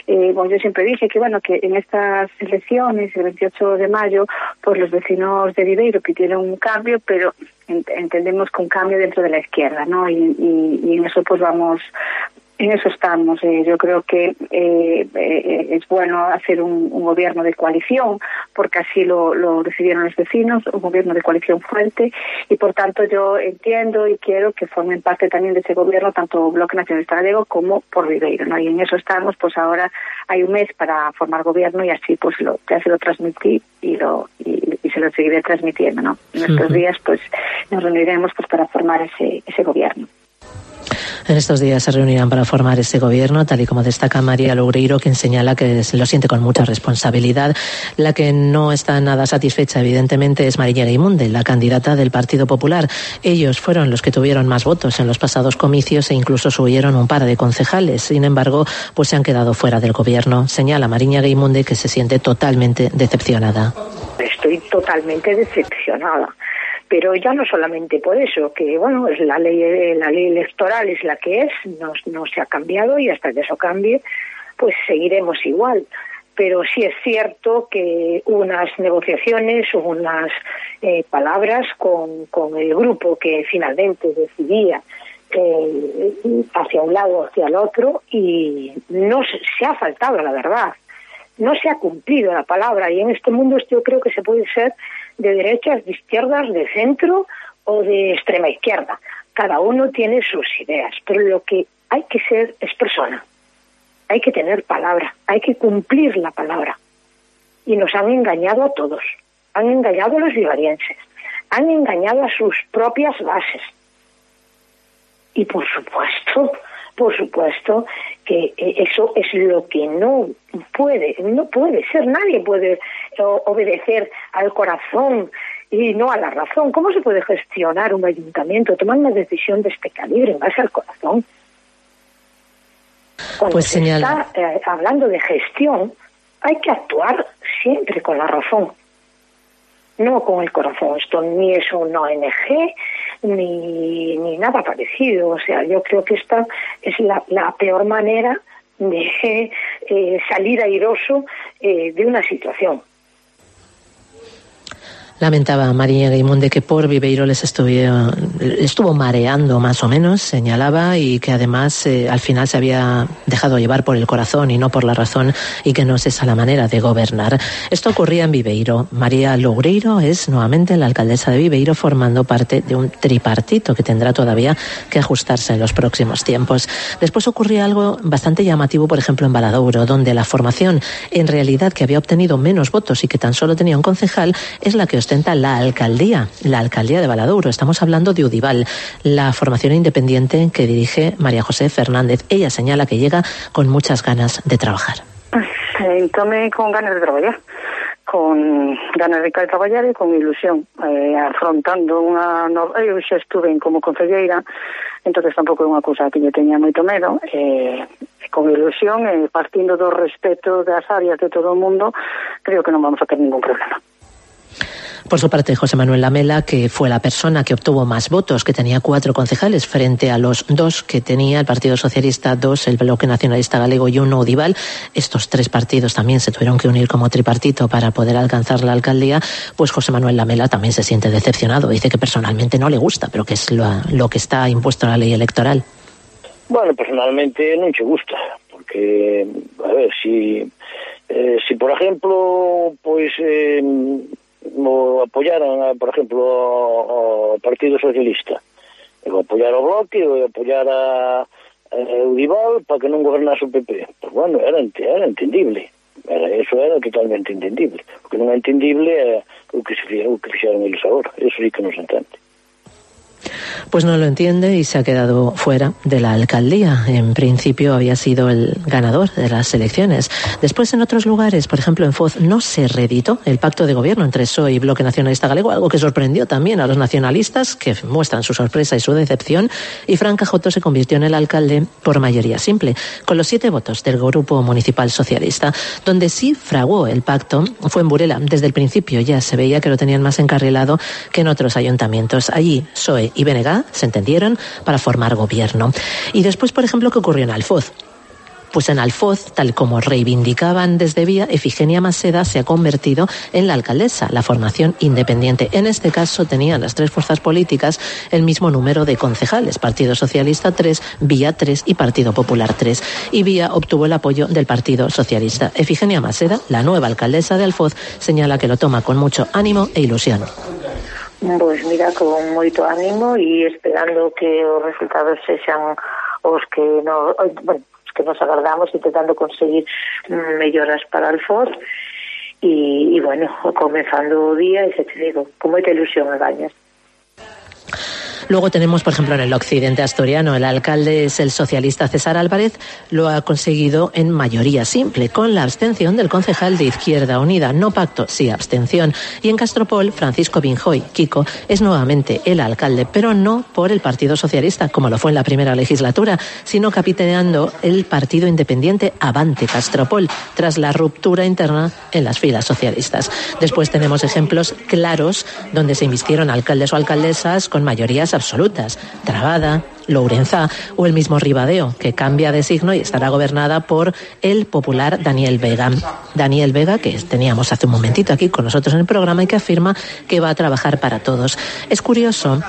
Eh, bueno, yo siempre dije que bueno que en estas elecciones, el veintiocho de mayo, pues los vecinos de Viveiro pidieron un cambio, pero ent- entendemos que un cambio dentro de la izquierda, ¿no? Y, y, y en eso pues vamos, en eso estamos. Eh, yo creo que eh, eh, es bueno hacer un, un gobierno de coalición, porque así lo, lo decidieron los vecinos, un gobierno de coalición fuerte, y por tanto yo entiendo y quiero que formen parte también de ese gobierno tanto Bloque Nacionalista Gallego como Por Viveiro, ¿no? Y en eso estamos, pues ahora hay un mes para formar gobierno y así pues lo, ya se lo transmití y lo y, y se lo seguiré transmitiendo, ¿no? En estos uh-huh. días pues nos reuniremos pues para formar ese, ese gobierno. En estos días se reunirán para formar ese gobierno, tal y como destaca María Loureiro, quien señala que lo siente con mucha responsabilidad. La que no está nada satisfecha, evidentemente, es Mariña Gaimunde, la candidata del Partido Popular. Ellos fueron los que tuvieron más votos en los pasados comicios e incluso subieron un par de concejales. Sin embargo, pues se han quedado fuera del gobierno. Señala Mariña Gaimunde que se siente totalmente decepcionada. Estoy totalmente decepcionada. Pero ya no solamente por eso, que bueno, es la ley la ley electoral es la que es, no, no se ha cambiado y hasta que eso cambie, pues seguiremos igual. Pero sí es cierto que unas negociaciones, unas eh, palabras con, con el grupo que finalmente decidía eh, hacia un lado o hacia el otro, y no se, se ha faltado la verdad. No se ha cumplido la palabra, y en este mundo yo creo que se puede ser de derechas, de izquierdas, de centro o de extrema izquierda. Cada uno tiene sus ideas, pero lo que hay que ser es persona. Hay que tener palabra, hay que cumplir la palabra. Y nos han engañado a todos. Han engañado a los vivarienses, han engañado a sus propias bases. Y por supuesto, por supuesto que eso es lo que no puede, no puede ser. Nadie puede obedecer al corazón y no a la razón. ¿Cómo se puede gestionar un ayuntamiento, tomar una decisión de este calibre en base al corazón? Cuando pues se señala. está eh, hablando de gestión, hay que actuar siempre con la razón, no con el corazón. Esto ni es una O N G ni, ni nada parecido. O sea, yo creo que esta es la, la peor manera de eh, salir airoso eh, de una situación. Lamentaba María Guimonde que por Viveiro les estuvo, estuvo mareando más o menos, señalaba, y que además eh, al final se había dejado llevar por el corazón y no por la razón, y que no es esa la manera de gobernar. Esto ocurría en Viveiro. María Loureiro es nuevamente la alcaldesa de Viveiro, formando parte de un tripartito que tendrá todavía que ajustarse en los próximos tiempos. Después ocurría algo bastante llamativo, por ejemplo en Valadouro, donde la formación en realidad que había obtenido menos votos y que tan solo tenía un concejal es la que ostenta la alcaldía, la alcaldía de Valadouro. Estamos hablando de Udival, la formación independiente que dirige María José Fernández. Ella señala que llega con muchas ganas de trabajar. Entón, con ganas de traballar, con ganas de traballar e con ilusión, eh, afrontando unha... No... Eu xa estuve como concelleira, entonces tampouco é unha cousa que yo teña moito medo, eh, con ilusión e eh, partindo do respeto das áreas de todo o mundo, creo que non vamos a ter ningún problema. Por su parte, José Manuel Lamela, que fue la persona que obtuvo más votos, que tenía cuatro concejales frente a los dos que tenía el Partido Socialista, dos el Bloque Nacionalista Galego y uno Udival. Estos tres partidos también se tuvieron que unir como tripartito para poder alcanzar la alcaldía. Pues José Manuel Lamela también se siente decepcionado. Dice que personalmente no le gusta, pero que es lo, lo que está impuesto en la ley electoral. Bueno, personalmente non che gusta, porque, a ver, si, eh, si por ejemplo, pois... Eh, o apoyaran, por exemplo, ao Partido Socialista, o apoyar ao Bloque, o apoyar a, a Udival para que non gobernase o P P. Pues bueno, era, era entendible. Era, eso era totalmente entendible. O que non é entendible é o que, se, o que fixeron eles agora. Eso sí que non se entende. Pues no lo entiende y se ha quedado fuera de la alcaldía. En principio había sido el ganador de las elecciones. Después, en otros lugares, por ejemplo en Foz, no se reeditó el pacto de gobierno entre P S O E y Bloque Nacionalista Galego, algo que sorprendió también a los nacionalistas, que muestran su sorpresa y su decepción, y Fran Cajoto se convirtió en el alcalde por mayoría simple, con los siete votos del Grupo Municipal Socialista. Donde sí fraguó el pacto fue en Burela. Desde el principio ya se veía que lo tenían más encarrilado que en otros ayuntamientos. Allí, P S O E y B N G se entendieron para formar gobierno. Y después, por ejemplo, ¿qué ocurrió en Alfoz? Pues en Alfoz, tal como reivindicaban desde Vía, Efigenia Maseda se ha convertido en la alcaldesa, la formación independiente. En este caso tenían las tres fuerzas políticas el mismo número de concejales, Partido Socialista tres, Vía tres y Partido Popular tres. Y Vía obtuvo el apoyo del Partido Socialista. Efigenia Maseda, la nueva alcaldesa de Alfoz, señala que lo toma con mucho ánimo e ilusión. Pois mira, con moito ánimo e esperando que os resultados sexan os que no, bueno, os que nos agardamos, intentando conseguir melloras para Alfoz e, e bueno, comenzando o día e se te digo, con moita ilusión e gañas. Luego tenemos, por ejemplo, en el occidente asturiano, el alcalde es el socialista César Álvarez, lo ha conseguido en mayoría simple, con la abstención del concejal de Izquierda Unida. No pacto, sí abstención. Y en Castropol, Francisco Binjoy, Kiko, es nuevamente el alcalde, pero no por el Partido Socialista, como lo fue en la primera legislatura, sino capitaneando el partido independiente Avante Castropol, tras la ruptura interna en las filas socialistas. Después tenemos ejemplos claros donde se invirtieron alcaldes o alcaldesas con mayorías absolutas, Trabada, Lourenzá o el mismo Ribadeo, que cambia de signo y estará gobernada por el popular Daniel Vega. Daniel Vega, que teníamos hace un momentito aquí con nosotros en el programa y que afirma que va a trabajar para todos. Es curioso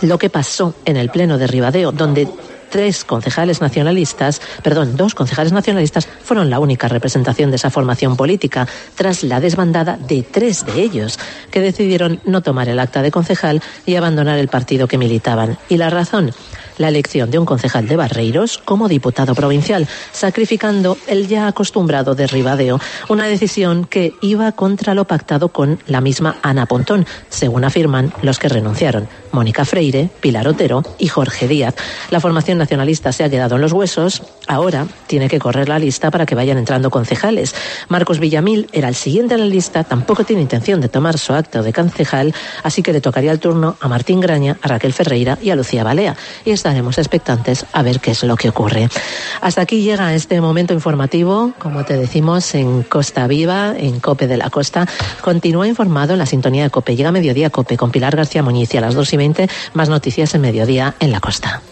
lo que pasó en el pleno de Ribadeo, donde tres concejales nacionalistas, perdón, dos concejales nacionalistas fueron la única representación de esa formación política, tras la desbandada de tres de ellos, que decidieron no tomar el acta de concejal y abandonar el partido que militaban. Y la razón, la elección de un concejal de Barreiros como diputado provincial, sacrificando el ya acostumbrado derribadeo, una decisión que iba contra lo pactado con la misma Ana Pontón, según afirman los que renunciaron, Mónica Freire, Pilar Otero y Jorge Díaz. La formación nacionalista se ha quedado en los huesos, ahora tiene que correr la lista para que vayan entrando concejales. Marcos Villamil era el siguiente en la lista, tampoco tiene intención de tomar su acta de concejal, así que le tocaría el turno a Martín Graña, a Raquel Ferreira y a Lucía Balea, y estaremos expectantes a ver qué es lo que ocurre. Hasta aquí llega este momento informativo, como te decimos, en Costa Viva, en COPE de la Costa. Continúa informado en la sintonía de COPE. Llega Mediodía COPE con Pilar García Muñiz y a las dos y veinte más noticias en Mediodía en la Costa.